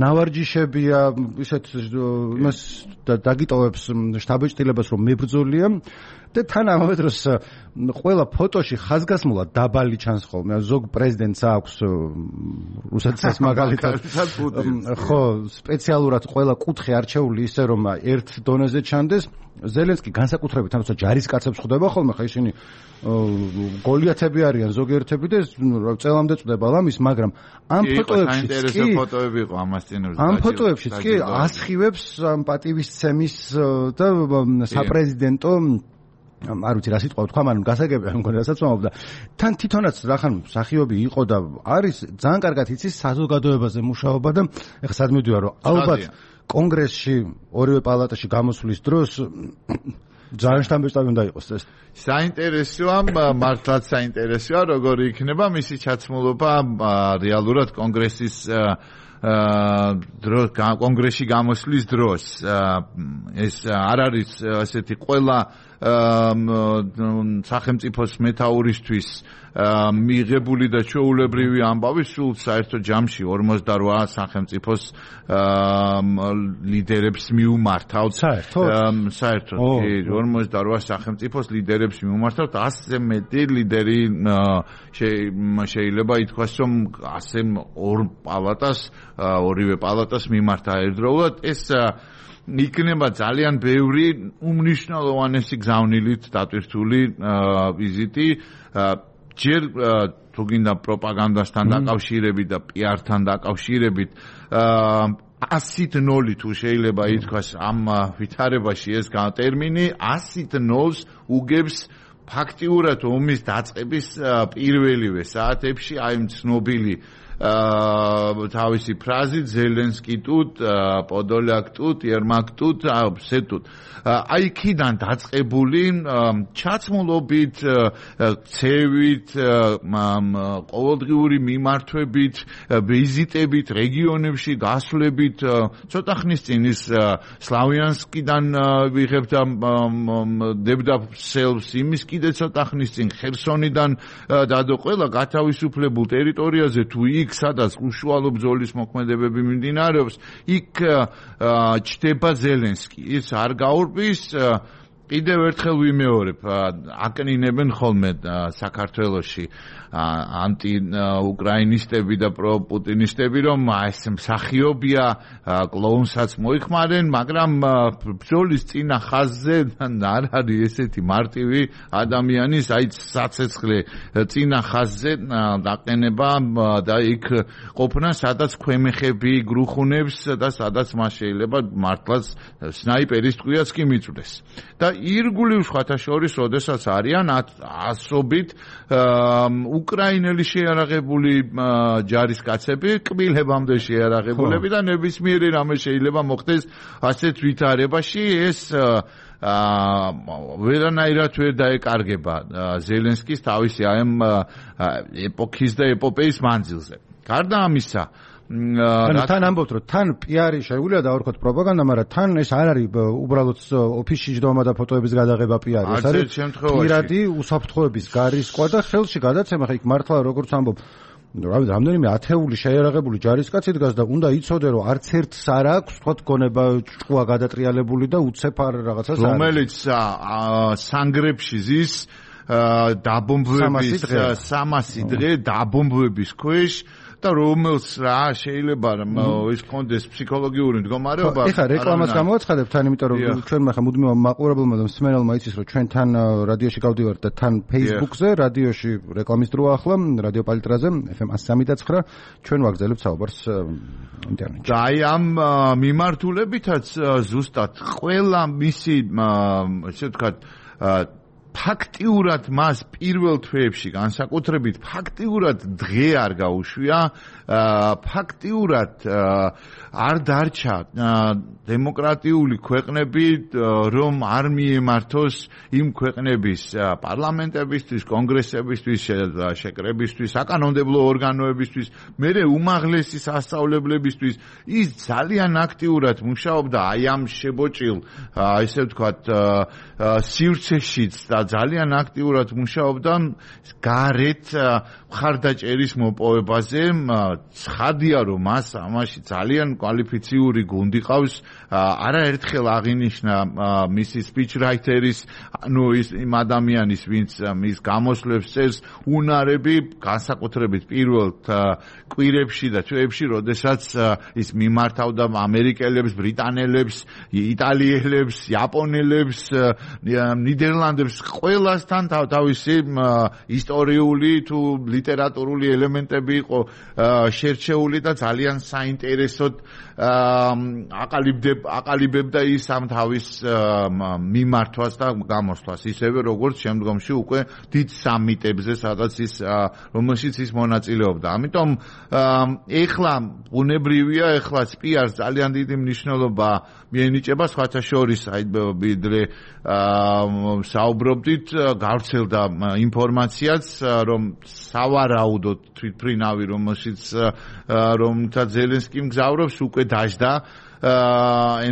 ნავარჯიშებია, ისეთ იმას დაგიტოვებს შთაბეჭდილებას რომ მებრძოლია და თან ამავე დროს ყველა ფოტოში ხაზგასმულად დაბალი ჩანს ხოლმე ზოგ პრეზიდენტს აქვს რუსეთსაც მაგალითად ხო სპეციალურად ყველა კუთხე არჩეული ისე რომ ერთ დონეზე ჩანდეს ზელენსკი განსაკუთრებით თორსა ჯარისკაცებს ხვდება ხოლმე ხა ისინი გოლიათები არიან ზოგიერთები და წელამდე წდება ლამის მაგრამ ამ ფოტოებშიც კი ფოტოები იყო ამას წინურს ამ ფოტოებშიც კი ასხივებს პატივისცემის და საპრეზიდენტო არ ვიცი რა სიტყვა თქვა, მაგრამ გასაგებია მგონი რასაც ვამბობდა. თან თვითონაც რახან მსახიობი იყო და არის ძალიან კარგად იცის საზოგადოებაზე მუშაობა და ეხლა სად მივდივარ რომ ალბათ კონგრესში ორივე პალატაში გამოსვლის დროს ძალიან შთამბეჭდავი უნდა იყოს ეს. საინტერესოა, მართლაც საინტერესოა, როგორი იქნება მისი ჩაცმულობა რეალურად კონგრესის კონგრესში გამოსვლის დროს. ეს არ არის ასეთი ყველა სახელმწიფოს მეთაურისთვის მიღებული და ჩვეულებრივი ამბავი სულ საერთო ჯამში 48 სახელმწიფოს ლიდერებს მიუმართავთ. საერთოდ 48 სახელმწიფოს ლიდერებს მიუმართავთ. 100-ზე მეტი ლიდერი შეიძლება ითქვას, რომ ასე ორივე პალატას მიმართა ერთდროულად. ეს იქნება ძალიან ბევრი უმნიშვნელოვანესი გზავნილით დატვირთული ვიზიტი. ჯერ თუ გინდა პროპაგანდასთან დაკავშირებით და PR-თან დაკავშირებით 100-0 თუ შეიძლება ითქვას ამ ვითარებაში ეს ტერმინი 100-0 უგებს ფაქტიურად ომის დაწყების პირველივე საათებში აი ცნობილი თავისი ფრაზით ზელენსკი ტუტ, პოდოლაკ ტუტ, ერმაკ ტუტ, სეტუტ. აი იქიდან დაწყებული ჩაცმულობით, ცევით, ყოველდღიური მიმართვებით, ვიზიტებით, რეგიონებში გასვლებით, ცოტა ხნის წინ ის სლავიანსკიდან ვიღებთ დევდაფსელს, იმის კიდე ცოტა ხნის წინ ხერსონიდან დადო ყველა გათავისუფლებულ ტერიტორიაზე თუ იქ სადაც უშუალო ბრძოლის მოქმედებები მიმდინარეობს, იქ ჩდება ზელენსკი. ის არ გაურბის, კიდევ ერთხელ ვიმეორებ, აკნინებენ ხოლმე საქართველოში ანტი-უკრაინისტები და პროპუტინისტები, რომ ეს მსახიობია, კლოუნსაც მოიხმარენ, მაგრამ ბრძოლის წინა ხაზზე არ არის ესეთი მარტივი ადამიანის, აი საცეცხლე წინა ხაზზე დაყენება და იქ ყოფნა, სადაც ქვემეხები გრუხუნებს და სადაც მას შეიძლება მართლაც სნაიპერის ტყვიაც კი მიწვდეს. და ირგვლივ სხვათა შორის, როდესაც არიან ასობით უკრაინელი შეიარაღებული ჯარისკაცები, კბილებამდე შეიარაღებულები და ნებისმიერი რამე შეიძლება მოხდეს ასეთ ვითარებაში, ეს ვერანაირად ვერ დაეკარგება ზელენსკის თავისი ამ ეპოქის და ეპოპეის მანძილზე. გარდა ამისა, თან ამბობთ, რომ თან PR-ი შეუძლია დავარქოთ პროპაგანდა, მაგრამ თან ეს არ არის უბრალოდ ოფისში ჯდომა და ფოტოების გადაღება PR-ი, ეს არის პირადი უსაფრთხოების გარისკვა და ხელში გადაცემა. ხა იქ მართლა როგორც ამბობ, რამდენიმე ათეული შეიარაღებული ჯარისკაცი დგას და უნდა იცოდე, რომ არც ერთს არ აქვს თქვა გონება ჭკუა გადატრიალებული და უცებ არ რაღაცას არის, რომელიც სანგრებში ზის დაბომბვების 300 დღე დაბომბვების ქვეშ და რომელს რა შეიძლება ის კონდეს ფსიქოლოგიური მდგომარეობა. ეხლა რეკლამას გამოვაცხადებთ თან, იმიტომ რომ ჩვენ ხა მუდმივ მაყურებელმა და მსმენელმა იცის, რომ ჩვენ თან რადიოში გავდივართ და თან Facebook-ზე, რადიოში რეკლამის დროა ახლა, რადიო პალიტრაზე, FM 103.9, ჩვენ ვაგზავნებთ საუბარს ინტერნეტში. და აი ამ მიმართულებითაც ზუსტად ყველა მისი ესე ვთქვათ ფაქტიურად მას პირველ თვეებში განსაკუთრებით ფაქტიურად დღე არ გაუშვია, ფაქტიურად არ დარჩა დემოკრატიული ქვეყნები, რომ არ მიემართოს იმ ქვეყნების პარლამენტებისთვის, კონგრესებისთვის, შეკრებისთვის, საკანონმდებლო ორგანოებისთვის, მერე უმაღლესი სასწავლებლებისთვის. ის ძალიან აქტიურად მუშაობდა აი ამ შებოჭილ, ესე ვთქვათ, სივრცეშიც და ძალიან აქტიურად მუშაობდა გარეთ მხარდაჭერის მოპოვებაზე. ცხადია, რომ მას ამაში ძალიან კვალიფიციური გუნდი ყავს. არაერთხელ აღინიშნა მისი სპიჩრაითერის, ანუ იმ ადამიანის, ვინც მის გამოსვლებს წერს, უნარები, განსაკუთრებით პირველ კვირებში და თვეებში, როდესაც ის მიმართავდა ამერიკელებს, ბრიტანელებს, იტალიელებს, იაპონელებს, ნიდერლანდებს, ყველასთან თავისი ისტორიული თუ ლიტერატურული ელემენტები იყო შერჩეული და ძალიან საინტერესოდ აყალიბებდა ის ამ თავის მიმართვას და გამოსვლას, ისევე როგორც შემდგომში უკვე დიდ სამიტებზე, სადაც ის რომელშიც ის მონაწილეობდა. ამიტომ ეხლა ბუნებრივია, ეხლა PR-ს ძალიან დიდი მნიშვნელობა მიენიჭება, სხვათა შორის აი ვიდრე საუბრობდით, გავრცელდა ინფორმაციაც, რომ სავარაუდოდ თვითმფრინავი, რომელშიც რომთა ზელენსკი მგზავრობს, უკვე დაждდა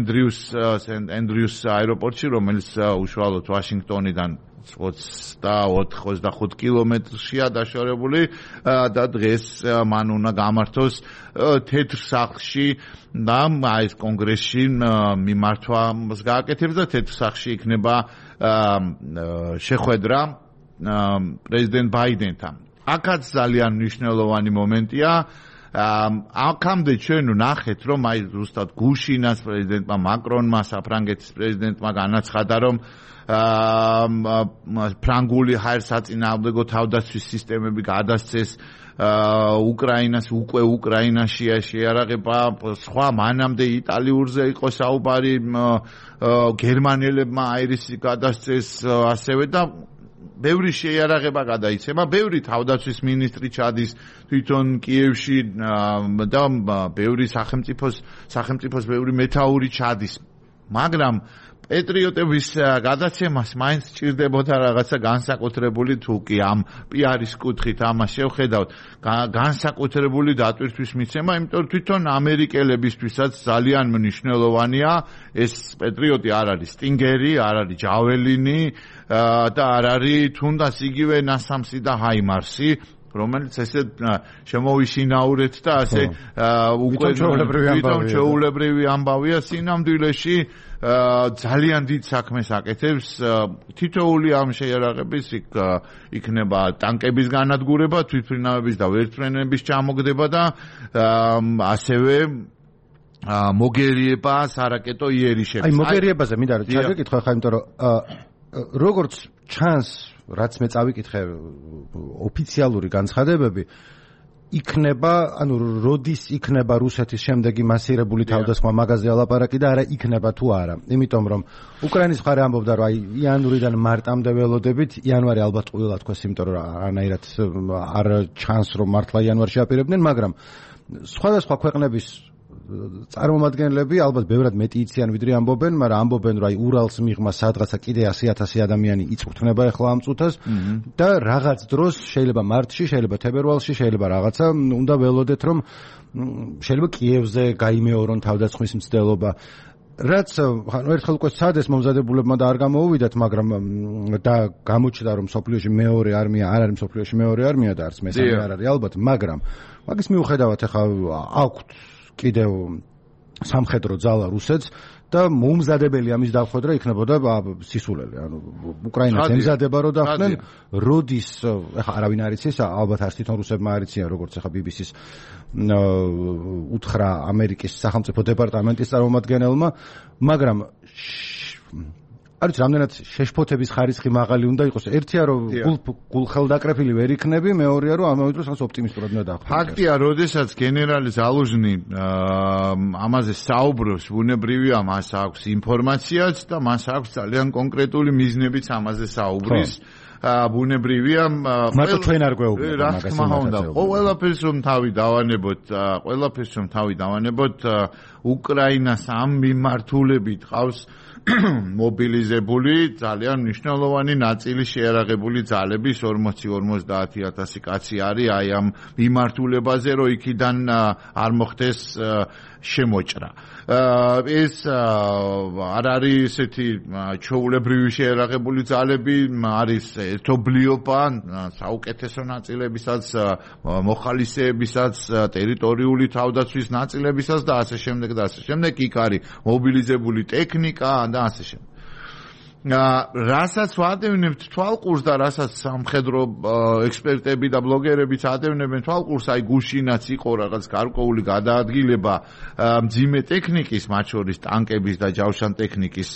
ენდრიუს აეროპორტში, რომელიც უშუალოდ ვაშინგტონიდან 24-25 კილომეტრშია დაშორებული და დღეს მან უნდა გამართოს თეთრ სახლში და ეს კონგრესში მიმართვას გააკეთებს და თეთრ სახლში იქნება შეხვედრა პრეზიდენტ ბაიდენთან. აქაც ძალიან მნიშვნელოვანი მომენტია. აქამდე ჩვენ ნახეთ, რომ აი ზუსტად გუშინაც პრეზიდენტმა მაკრონმა, საფრანგეთის პრეზიდენტმა განაცხადა, რომ ფრანგული ჰაერსაწინააღმდეგო თავდაცვის სისტემები გადასცეს უკრაინას, უკვე უკრაინაშია შეიარაღება, სხვა მანამდე იტალიურზე იყო საუბარი, გერმანელებმა აირისი გადასცეს ასევე და ბევრი შეიარაღება გადაიცემა, ბევრი თავდაცვის მინისტრი ჩადის თვითონ კიევში და ბევრი სახელმწიფოს ბევრი მეთაური ჩადის, მაგრამ პატრიოტების გადაცემას მაინც სჭირდებოდა რაღაცა განსაკუთრებული თუკი ამ პიარის კუთხით ამას შევხედავთ, განსაკუთრებული დატვირთვის მიცემა, იმიტომ რომ თვითონ ამერიკელებისთვისაც ძალიან მნიშვნელოვანია ეს პატრიოტი არ არის სტინგერი, არ არის ჯაველინი და არ არის თუნდაც იგივე ნასამსი და ჰაიმარსი, რომელიც ესე შემოვიშინაურეთ და ასე უკვე ჩვეულებრივი ამბავია სინამდვილეში ძალიან დიდ საქმეს აკეთებს. თითოეული ამ შეიარაღების იქნება ტანკების განადგურება, თვითმფრინავების და ვერტმფრენების ჩამოგდება და ასევე მოგერიება სარაკეტო იერიშები. აი მოგერიებაზე მინდა ჩაგეკითხო ხა, იმიტომ რომ როგორც ჩანს, რაც მე წავიკითხე ოფიციალური განცხადებები, იქნება, ანუ როდის იქნება რუსეთის შემდეგი მასირებული თავდასხმა მაგაზე ალაპარაკი და არა იქნება თუ არა. იმიტომ რომ უკრაინის მხარე ამბობდა, რომ აი იანვრიდან მარტამდე ველოდებით, იანვარი ალბათ ყველა თქოს, იმიტომ რომ არანაირად არ ჩანს, რომ მართლა იანვარში აპირებდნენ, მაგრამ სხვადასხვა ქვეყნების წარმომადგენლები ალბათ ბევრად მეტი იციან ვიდრე ამბობენ, მაგრამ ამბობენ, რომ აი ურალს მიღმა სადღაცა კიდე 100,000 ადამიანი იწვრთნება ახლა ამ წუთას და რაღაც დროს შეიძლება მარტში, შეიძლება თებერვალში, შეიძლება რაღაცა უნდა ველოდეთ, რომ შეიძლება კიევზე გაიმეორონ თავდასხმის მცდელობა. რაც ერთხელ უკვე სადეს მომზადებულებმა და არ გამოუვიდათ, მაგრამ და გამოჩნდა, რომ სოფლიოში მეორე არმია არ არის სოფლიოში მეორე არმია და არც მესამე არ არის ალბათ, მაგრამ მაგის მიუხედავად ახლა აქვთ კიდევ სამხედრო ძალა რუსეთს და მომზადებელი ამის დახვედრა იქნებოდა სისულელი. ანუ უკრაინას ემზადება რომ დახვდნენ, როდის ახლა არავინ არ იცის, ალბათ არც თვითონ რუსებმა არ იციან, როგორც ახლა BBC-ს უთხრა ამერიკის სახელმწიფო დეპარტამენტის წარმომადგენელმა, მაგრამ არის რამდენად შეშფოთების ხარისხი მაღალი უნდა იყოს. ერთია რომ გულხელდაკრეფილი ვერ იქნები, მეორეა რომ ამავე დროს რაღაც ოპტიმისტურად უნდა დახვდე. ფაქტია, როდესაც გენერალი ზალუჟნი ამაზე საუბრობს, ბუნებრივია მას აქვს ინფორმაციაც და მას აქვს ძალიან კონკრეტული მიზნებიც ამაზე საუბრის. ბუნებრივია, მარტო ჩვენ არ გვეუბნებთ რა თქმა უნდა. ყველაფერს რომ თავი დავანებოთ, უკრაინას ამ მიმართულებით ყავს მობილიზებული ძალიან მნიშვნელოვანი ნაწილი შეიარაღებული ძალების 40-50,000 კაცი არის აი ამ მიმართულებაზე, რომ იქიდან არ მოხდეს შემოჭრა. ეს არ არის ესეთი ჩვეულებრივი შეიარაღებული ძალები, არის ერთობლიობა საუკეთესო ნაწილებისაც, მოხალისეებისაც, ტერიტორიული თავდაცვის ნაწილებისაც და ასე შემდეგ და ასე შემდეგ. იქ არის მობილიზებული ტექნიკა და ასე შემდეგ. რასაც ვადევნებთ თვალყურს და რასაც სამხედრო ექსპერტები და ბლოგერებიც ადევნებენ თვალყურს, აი გუშინაც იყო რაღაც გარკვეული გადაადგილება მძიმე ტექნიკის, მათ შორის ტანკების და ჯავშან ტექნიკის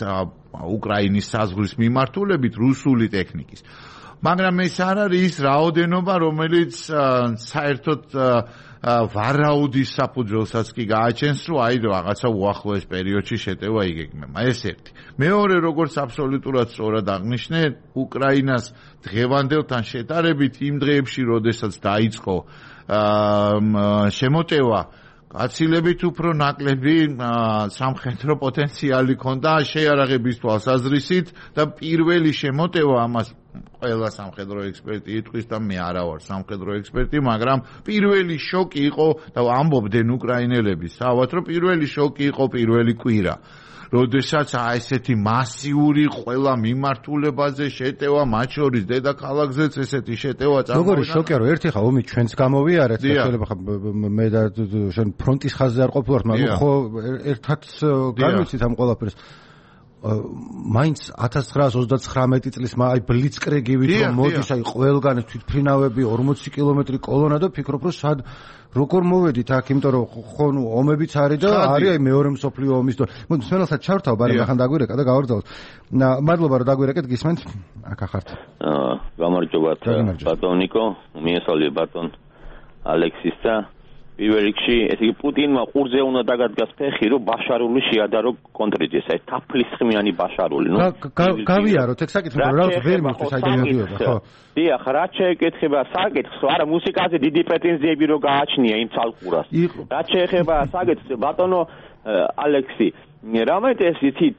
უკრაინის საზღვრის მიმართულებით რუსული ტექნიკის. მაგრამ ეს არ არის ის რაოდენობა, რომელიც საერთოდ ვარაუდის საფუძველსაც კი გააჩენს, რომ აი რაღაცა უახლოეს პერიოდში შეტევა იგეგმება. ეს ერთი. მეორე, როგორც აბსოლუტურად სწორად აღნიშნე, უკრაინას დღევანდელთან შედარებით იმ დღეებში, როდესაც დაიწყო შემოტევა, გაცილებით უფრო ნაკლები სამხედრო პოტენციალი ქონდა შეიარაღების თვალსაზრისით და პირველი შემოტევა ამას ყველა სამხედრო ექსპერტი იტყვის და მე არა ვარ სამხედრო ექსპერტი, მაგრამ პირველი შოკი იყო და ამბობდნენ უკრაინელები თავად, რომ პირველი შოკი იყო პირველი კვირა. როდესაც ესეთი მასიური ყველა მიმართულებაზე შეტევა, მათ შორის დედაქალაქზეც ესეთი შეტევა წარმოვიდგინე. როგორი შოკია, რომ ერთი ხა ომი ჩვენც გამოვიარეთ და შეიძლება ხა მე და შენ ფრონტის ხაზზე არ ყოფილვართ, მაგრამ ხო ერთად განვიცით ამ ყველაფერს. მაინც 1939 წლის აი ბლიცკრიგივით რომ მოდის აი ყველგან თვითფრინავები 40 კილომეტრი კოლონა და ფიქრობ რომ სად როგორ მოვედით აქ, იმიტომ რომ ხო ნუ ომებიც არის და არის აი მეორე მსოფლიო ომის დრო. მსმენელსაც ჩავრთავ, ბარემ ახან დაგვირეკა და გავარძალოთ. მადლობა რომ დაგვირეკეთ, გისმენთ? აქ ახართ. გამარჯობათ ბატონ ნიკო, მიესალმე ბატონ ალექსის და პირველ რიგში ესე იგი პუტინმა ყურზე უნდა დაგადგას ფეხი რომ ბაშარული შეადარო კონტრიჯეს აი თაფლისხმიანი ბაშარული ნუ გავიაროთ ეგ საკითხი რომ რა ვერ მისთვის აიდეა მიდიოდა ხო დიახ რა შეეკითხება საკითხს არა მუსიკაზე დიდი პრეტენზიები რო გააჩნია იმ ცალკურას რა შეეხება საკითხს ბატონო ალექსი რამეთ ეს იცით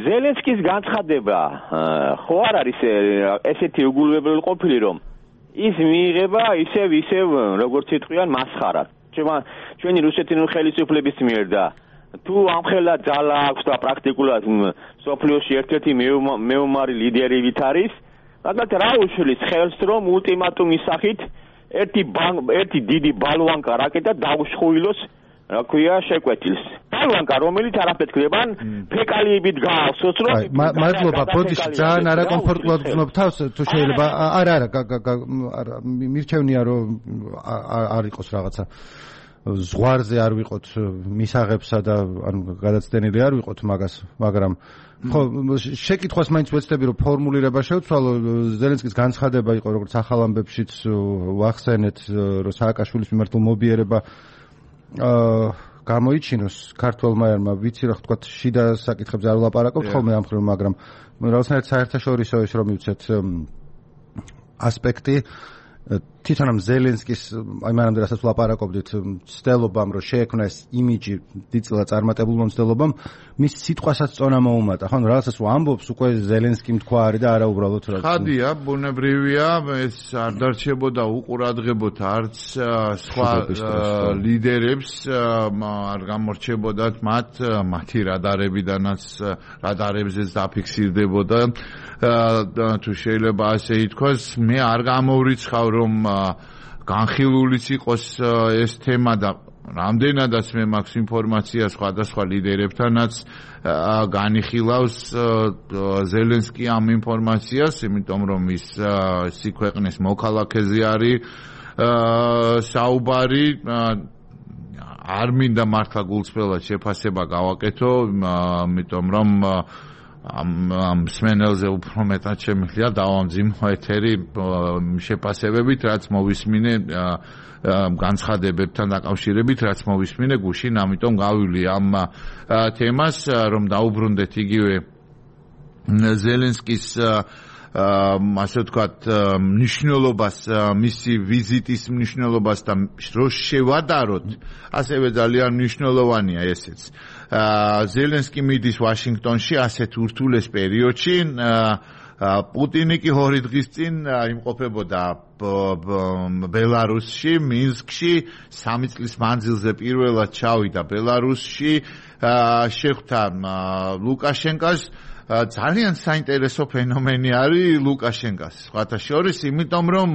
ზელენსკის განცხადება ხო არ არის ესეთი უგულებელ ყოფილი რომ ის მიიღება ისევ როგორც იტყვიან მასხარად. ჩვენი რუსეთის ხელისუფლების მიერ და თუ ამხელა ძალა აქვს და პრაქტიკულად სოფლიოში ერთ-ერთი მეომარი ლიდერი ვით არის, მაგალითად რა უშლის ხელს რომ ულტიმატუმის სახით ერთი დიდი ბალვანკა რაკეტა დაუშხუილოს რა ქვია შეკვეთილს. ბალვანკა რომელიც არაფეთქებან ფეკალიებით გაავსოს რომ მადლობა ბოდიში ძალიან არაკომფორტულად ვზნობ თავს თუ შეიძლება არა მირჩევნია რომ არ იყოს რაღაცა ზღვარზე არ ვიყოთ მისაღებსა და ანუ გადაცდენილი არ ვიყოთ მაგას მაგრამ ხო შეკითხვას მაინც ვეცდები რომ ფორმულირება შევცვალო ზელენსკის განცხადება იყო როგორც ახალ ამბებშიც ვახსენეთ რომ სააკაშვილის მიმართ მობიერება გამოიჩინოს ქართველმა ერმა ვიცი რა თქვა შიდა საკითხებზე არ ვლაპარაკობთ ხოლმე ამ ხრივ მაგრამ რაღაცნაირად საერთაშორისო ის რომ მივცეთ ასპექტი თვითონ ამ ზელენსკის აი მანამდე რასაც ვლაპარაკობდით ცდილობამ რომ შეექმნა ეს იმიჯი დიდწილად წარმატებულმა ცდილობამ მის სიტყვასაც წონა მოუმატა ხო რაღაცას ამბობს უკვე ზელენსკიმ თქვა არის და არა უბრალოდ რა ხადია ბუნებრივია ეს არ დარჩებოდა უყურადღებოთ არც სხვა ლიდერებს არ გამორჩებოდათ მათი რადარებიდანაც რადარებზეც დაფიქსირდებოდა თუ შეიძლება ასე ითქვას მე არ გამოვრიცხავ რომ განხილულიც იყოს ეს თემა და რამდენადაც მე მაქვს ინფორმაცია სხვადასხვა ლიდერებთანაც განიხილავს ზელენსკი ამ ინფორმაციას, იმიტომ რომ ის ქვეყნის მოქალაქეზე არის საუბარი არ მინდა მართლა გულწრფელად შეფასება გავაკეთო, იმიტომ რომ ამ სმენელზე უფრო მეტად შემიძლია დავამძიმო ეთერი შეფასებებით, რაც მოვისმინე განცხადებებთან დაკავშირებით, რაც მოვისმინე გუშინ, ამიტომ გავივli ამ თემას, რომ დაუბრუნდეთ იგივე ზელენსკის ასე ვთქვათ მნიშვნელობას, მისი ვიზიტის მნიშვნელობას და რო შევადაროთ, ასევე ძალიან მნიშვნელოვანია ესეც. ზელენსკი მიდის ვაშინგტონში ასეთ ურთულეს პერიოდში, პუტინი კი 2 დღის წინ იმყოფებოდა ბელარუსში, მინსკში, 3 წლის მანძილზე პირველად ჩავიდა ბელარუსში, შეხვდა ლუკაშენკას. ძალიან საინტერესო ფენომენი არის ლუკაშენკას სხვათა შორის, იმიტომ რომ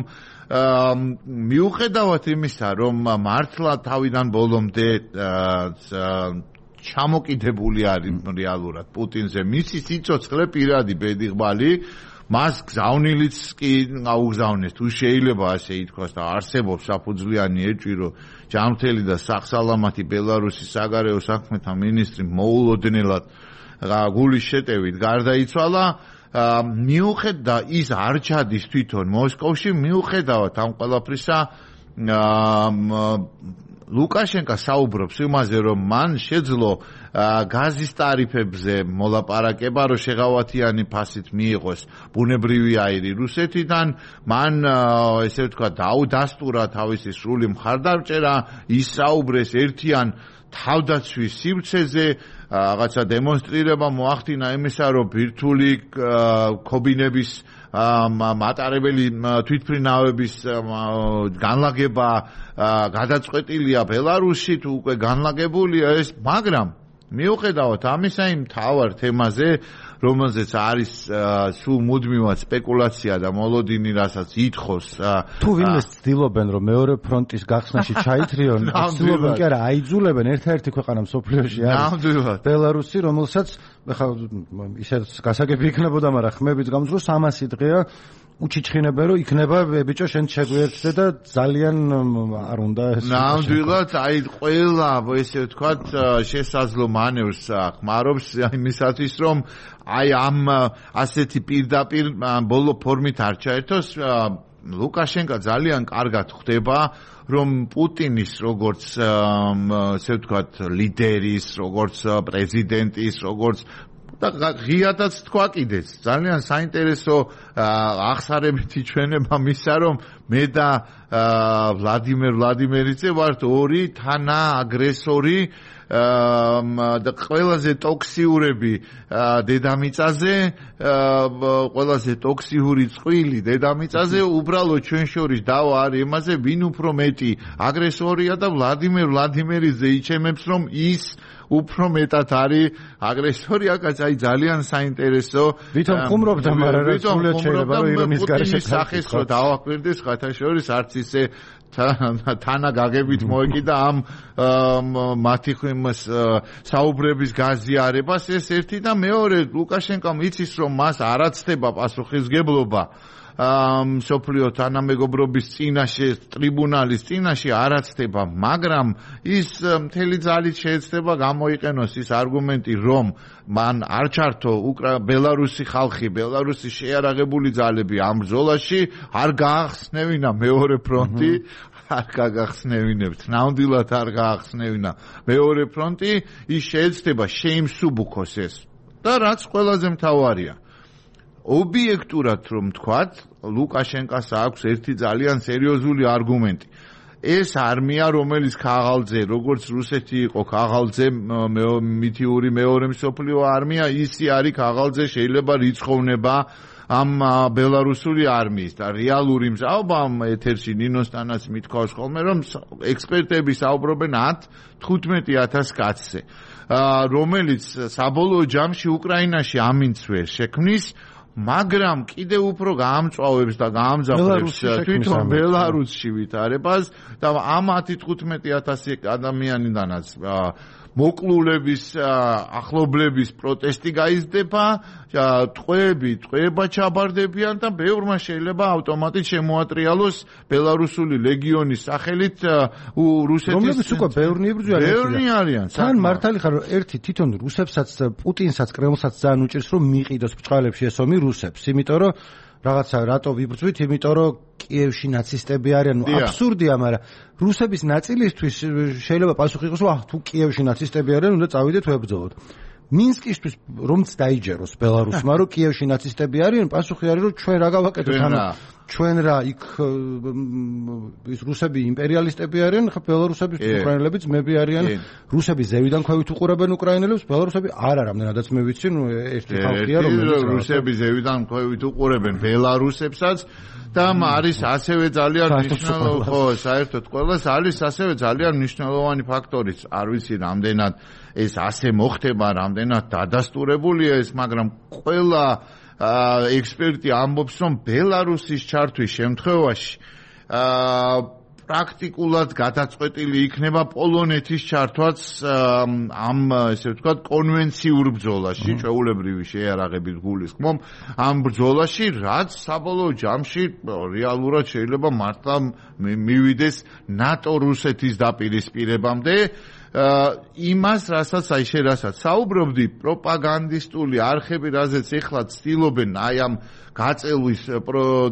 მიუხედავად იმისა, რომ მართლა თავიდან ბოლომდე ჩამოკიდებული არის რეალურად პუტინზე, მისი სიცოცხლე პირადი ბედიღბალი, მას გზავნილიც კი აუგზავნეს, თუ შეიძლება ასე ითქვას და არსებობს საფუძვლიანი ეჭვი, რომ ჯანმრთელი და სახსალამათი ბელარუსის საგარეო საქმეთა მინისტრი მოულოდნელად გულის შეტევით გარდაიცვალა, მიუხედავად ის არ ჩადის თვითონ მოსკოვში, მიუხედავად ამ ყველაფრისა ლუკაშენკა საუბრობს იმაზე, რომ მან შეძლო გაზის ტარიფებზე მოლაპარაკება, რომ შეღავათიანი ფასით მიიღოს ბუნებრივი აირი რუსეთიდან, მან ესე ვთქვათ დაუდასტურა თავისი სრული მხარდამჭერა, ისაუბრეს ერთიან თავდაცვის სივრცეზე, რაღაცა დემონსტრირება მოახდინა იმისა, რომ ბირთვული ქობინების მატარებელი თვითმფრინავების განლაგება გადაწყვეტილია ბელარუსში, თუ უკვე განლაგებულია ეს, მაგრამ მიუხედავად ამისა იმ მთავარ თემაზე, რომელზეც არის სულ მუდმივად სპეკულაცია და მოლოდინი, რასაც ითხოვს თუ ვინმე ცდილობენ რომ მეორე ფრონტის გახსნაში ჩაითრიონ, ცდილობენ კი არა აიძულებენ ერთ-ერთი ქვეყანა მსოფლიოში არის ბელარუსი, რომელსაც ხა ისეთ გასაგები იქნებოდა, მაგრამ ხმებით გამოსულ 300 დღეა უჩიჩხინებენ, რომ იქნება ბიჭო შენ შეგვიერთდე და ძალიან არ უნდა ეს. ნამდვილად, აი ყველა ესე ვთქვათ შესაძლო მანევრს ხმარობს იმისათვის, რომ აი ამ ასეთი პირდაპირ ბოლო ფორმით არ ჩაერთოს. ლუკაშენკო ძალიან კარგად ხვდება, რომ პუტინის როგორც ესე ვთქვათ ლიდერის, როგორც პრეზიდენტის, როგორც და ღიადაც თქვა კიდეც ძალიან საინტერესო აღსარებითი ჩვენება მისა, რომ მე და ვლადიმერ ვლადიმერიძე ვართ ორი თანააგრესორი და ყველაზე ტოქსიურები დედამიწაზე, ყველაზე ტოქსიური წყვილი დედამიწაზე, უბრალოდ ჩვენ შორის დავა არის იმაზე, ვინ უფრო მეტი აგრესორია და ვლადიმერ ვლადიმერიძე იჩემებს, რომ ის უფრო მეტად არის აგრესორი. აქაც აი ძალიან საინტერესო ვითომ ხუმრობდა, მაგრამ რა სულად შეიძლება რომ ირონის გარეშე სახეს რო დავაკვირდეს ხათაშორის არც ისე თანაგაგებით მოეკიდა ამ მათი საუბრების გაზიარებას. ეს ერთი და მეორე, ლუკაშენკომ იცის, რომ მას არ აცდება პასუხისგებლობა მსოფლიო თანამეგობრობის წინაშე, ტრიბუნალის წინაშე არ აცდება, მაგრამ ის მთელი ძალით შეეცდება გამოიყენოს ის არგუმენტი, რომ მან არ ჩართო ბელარუსი ხალხი, ბელარუსის შეიარაღებული ძალები ამ ბრძოლაში, არ გაახსნევინა მეორე ფრონტი, არ გაგახსნევინებთ, ნამდვილად არ გაახსნევინა მეორე ფრონტი, ის შეეცდება შეიმსუბუქოს ეს. და რაც ყველაზე მთავარია, ობიექტურად რომ თქვათ, ლუკაშენკას აქვს ერთი ძალიან სერიოზული არგუმენტი. ეს არმია, რომელიც ქაღალდზე, როგორც რუსეთი იყო ქაღალდზე მითიური მეორე მსოფლიო არმია, ისი არის ქაღალდზე, შეიძლება რიცხოვნება ამ ბელარუსული არმიის და რეალური მზაობა ეთერში ნინოსთანაც მithქვავს ხოლმე, რომ ექსპერტები საუბრობენ 10-15,000 კაცზე, რომელიც საბოლოო ჯამში უკრაინაში ამინდს ვერ შექმნის, მაგრამ კიდევ უფრო გაამწვავებს და გაამძაფრებს თვითონ ბელარუსში ვითარებას და ამ 10-15,000 ადამიანიდანაც მოკლულების, ახლობლების პროტესტი გაიზრდება, ტყვეება ჩაბარდებიან და ბევრმა შეიძლება ავტომატით შემოატრიალოს ბელარუსული ლეგიონის სახელით რუსეთის, რომლებიც უკვე ბევრნი იბრძვიან. ბევრნი არიან. თან მართალი ხარ, რომ ერთი თვითონ რუსებსაც, პუტინსაც, კრემლსაც ძალიან უჭირს, რომ მიყიდოს ბჭყალებში ეს ომი რუსებს, იმიტომ რომ რაღაცა რატო ვიბრძვით, იმიტომ რომ კიევში ნაცისტები არიან, აბსურდია, მაგრამ რუსების ნაწილისთვის შეიძლება პასუხი იყოს, რომ თუ კიევში ნაცისტები არიან, უნდა წავიდეთ ვებრძოლოთ. მინსკისთვის რომც დაიჯეროს ბელარუსმა, რომ კიევში ნაცისტები არიან, პასუხი არის, რომ ჩვენ რა გავაკეთოთ, ანუ ჩვენ რა იქ ის რუსები იმპერიალისტები არიან, ხა ბელარუსების უკრაინელები ძმები არიან, რუსები ზევიდან ქვევით უყურებენ უკრაინელებს, ბელარუსები არა, რამდენადაც მე ვიცი, ნუ ერთი ხალხია, რომელიც რუსები ზევიდან ქვევით უყურებენ ბელარუსებსაც და არის ასევე ძალიან მნიშვნელოვანი, ხო, საერთოდ ყველას არის ასევე ძალიან მნიშვნელოვანი ფაქტორიც, არ ვიცი რამდენად ეს ასე მოხდება, რამდენად დადასტურებულია ეს, მაგრამ ყველა ექსპერტი ამბობს, რომ ბელარუსის ჩართვის შემთხვევაში პრაქტიკულად გადაწყვეტილი იქნება პოლონეთის ჩართვაც ამ ესე ვთქვათ კონვენციურ ბრძოლაში, ჩვეულებრივი შეიარაღებით გულისხმობ ამ ბრძოლაში, რაც საბოლოო ჯამში რეალურად შეიძლება მართლა მივიდეს ნატო-რუსეთის დაპირისპირებამდე. იმას, რასაც აი შე რასაც საუბრობდი, პროპაგანდისტული არხები, რაზეც ეხლა ცდილობენ აი ამ გაწელვის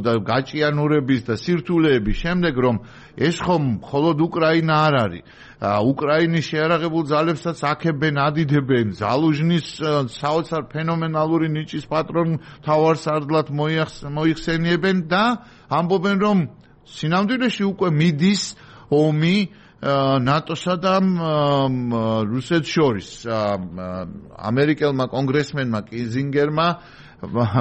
და გაჭიანურების და სირთულეების შემდეგ, რომ ეს ხომ მხოლოდ უკრაინა არ არის. უკრაინის შეარაღებულ ძალებსაც აქებენ, ადიდებენ, ზალუჟნის საოცარ ფენომენალური ნიჭის პატრონ მთავარსარდლად მოიხსენიებენ და ამბობენ, რომ სინამდვილეში უკვე მიდის ომი ნატოსა და რუსეთს შორის. ამერიკელმა კონგრესმენმა კიზინგერმა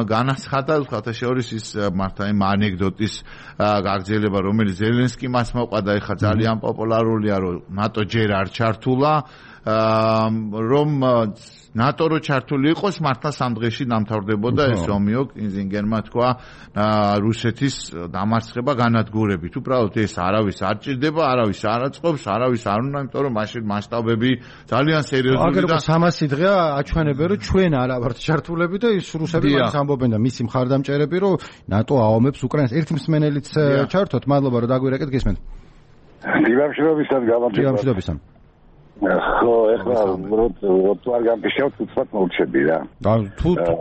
განაცხადა ხათაშორის ის მართა იმ ანეკდოტის გაგრძელება, რომელიც ზელენსკიმ მას მოყვა და ეხლა ძალიან პოპულარულია, რომ ნატო ჯერ არ ჩართულა, რომ ნატო რო ჩართული იყოს, მართლა სამ დღეში დამთავრდებოდა ეს ომიო. კინზინგერმა თქვა რუსეთის დამარცხება განადგურებით. უბრალოდ ეს არავის არ ჭირდება, არავის არ აწყობს, არავის არ უნდა, იმიტომ რომ მაშინ მასშტაბები ძალიან სერიოზული და 300 დღეა აჩვენებენ, რომ ჩვენ არა ვართ ჩართულები და ის რუსები მას ამბობენ და მისი მხარდამჭერები, რომ ნატო აომებს უკრაინას. ერთი მსმენელიც ჩართოთ, მადლობა რომ დაგვირეკეთ, გისმენთ. დიმამშვიდობისად გამარჯობა. დიმამშვიდობისად. ხო, ეხლა რო არ გამფიშავთ, უცბად მოვჩები რა.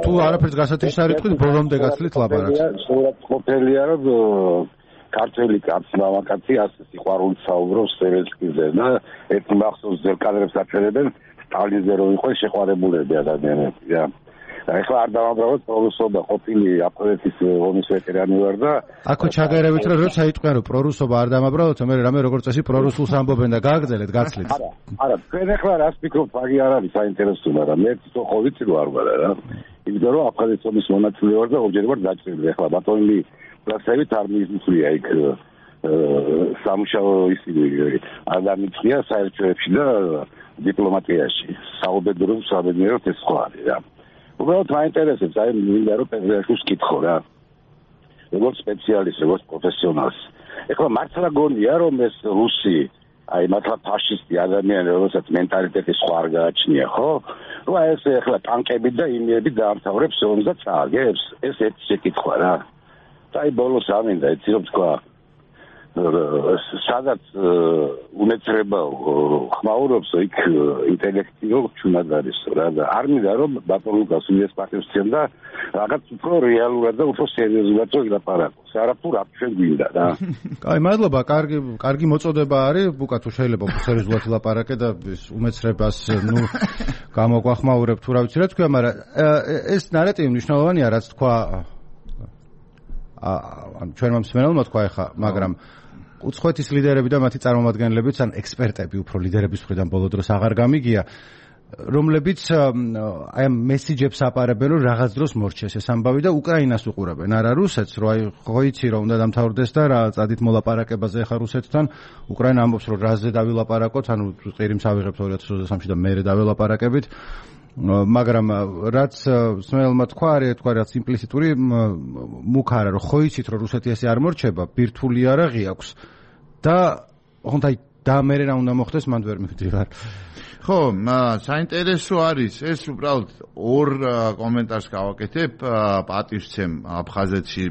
თუ არაფერს გასათიშს არ იტყვით, ბოლომდე გაცლით ლაპარაკს. სწორად ყოფილია, რომ ქართველი კაცი, მამაკაცი ასე სიყვარულით საუბრობს ზელენსკიზე და ერთი მახსოვს ზერკალებს აჩვენებენ სტალინზე რომ იყო შეყვარებულები ადამიანები რა. ეხლა არ დავამბრავოთ პრორუსობა ყოფილი აფხაზეთის ომის ვეტერანი ვარ და აქო ჩაგერებით რომ როცა იტყვიან რომ პრორუსობა არ დამაბრალოთ, მე რამე როგორც წესი პრორუსულს ამბობენ და გააგრძელეთ, გაცლით. არა, თქვენ ეხლა რას ფიქრობთ, აგი არ არის საინტერესო, მაგრამ მე ხო ვიცი რომ არ ვარ რა. იმიტომ რომ აფხაზეთის ომის მონაწილე ვარ და ორჯერ ვარ დაჭრილი. ეხლა ბატონი პროცესით არ მიიწვია იქ სამუშაო ისინი არ დამიწია საერთაშორისო და დიპლომატიაში. საუბედუროთ ეს ხო არის რა. უბრალოდ მაინტერესებს, აი მინდა რომ პეტრეშუს კითხო რა. როგორც სპეციალისტს, როგორც პროფესიონალს. ეხლა მართლა გონია რომ ეს რუსი, აი მართლა ფაშისტი ადამიანი, რომელსაც მენტალიტეტი სხვა არ გააჩნია, ხო? რომ აი ეს ეხლა ტანკები და იმიები დაამთავრებს ომს და წააგებს, ეს ერთი შეკითხვა რა. და აი ბოლოს ამინდა, იცი რომ თქვა სადაც უნეცრება ხმაურობს იქ ინტელექტიო ჩუნად არის რა და არ მინდა რომ ბატონ ლუკას უეს პარტიებს წემ და რაღაც უფრო რეალურად და უფრო სერიოზულად ვილაპარაკოს. არაფერ არ ჩვენ გვინდა რა. კაი, მადლობა, კარგი მოწოდება არის, ბუკა თუ შეიძლება სერიოზულად ვილაპარაკე და უმეცრებას გამოგვახმაურებ თუ რა ვიცი რა თქვა, მაგრამ ეს ნარატივი მნიშვნელოვანია, რაც თქვა ჩვენმა მსმენელმა თქვა ეხა, მაგრამ უცხოეთის ლიდერები და მათი წარმომადგენლებიც ან ექსპერტები უფრო ლიდერების მხრიდან ბოლო დროს აღარ გამიგია, რომლებიც აი ამ მესიჯებს აპარებენ, რომ რაღაც დროს მორჩეს ეს ამბავი და უკრაინას უყურებენ, არა რუსეთს, რომ აი ხო იცი რომ უნდა დამთავრდეს და რა წადით მოლაპარაკებაზე ახლა რუსეთთან. უკრაინა ამბობს, რომ რაზე დავილაპარაკოთ, ანუ ყირიმს ავიღებთ 2023-ში და მერე დავილაპარაკებით. მაგრამ რაც სმენელმა თქვა, რაც იმპლიციტური მუქ არა, რომ ხო იცით რომ რუსეთი ესე არ მორჩება, ბირთვული არაღი აქვს და ხონდა და მერე რა უნდა მოხდეს, მანდ ვერ მივდივარ. ხო, საინტერესო არის ეს უბრალოდ ორ კომენტარს გავაკეთებ. პატივცემ აფხაზეთში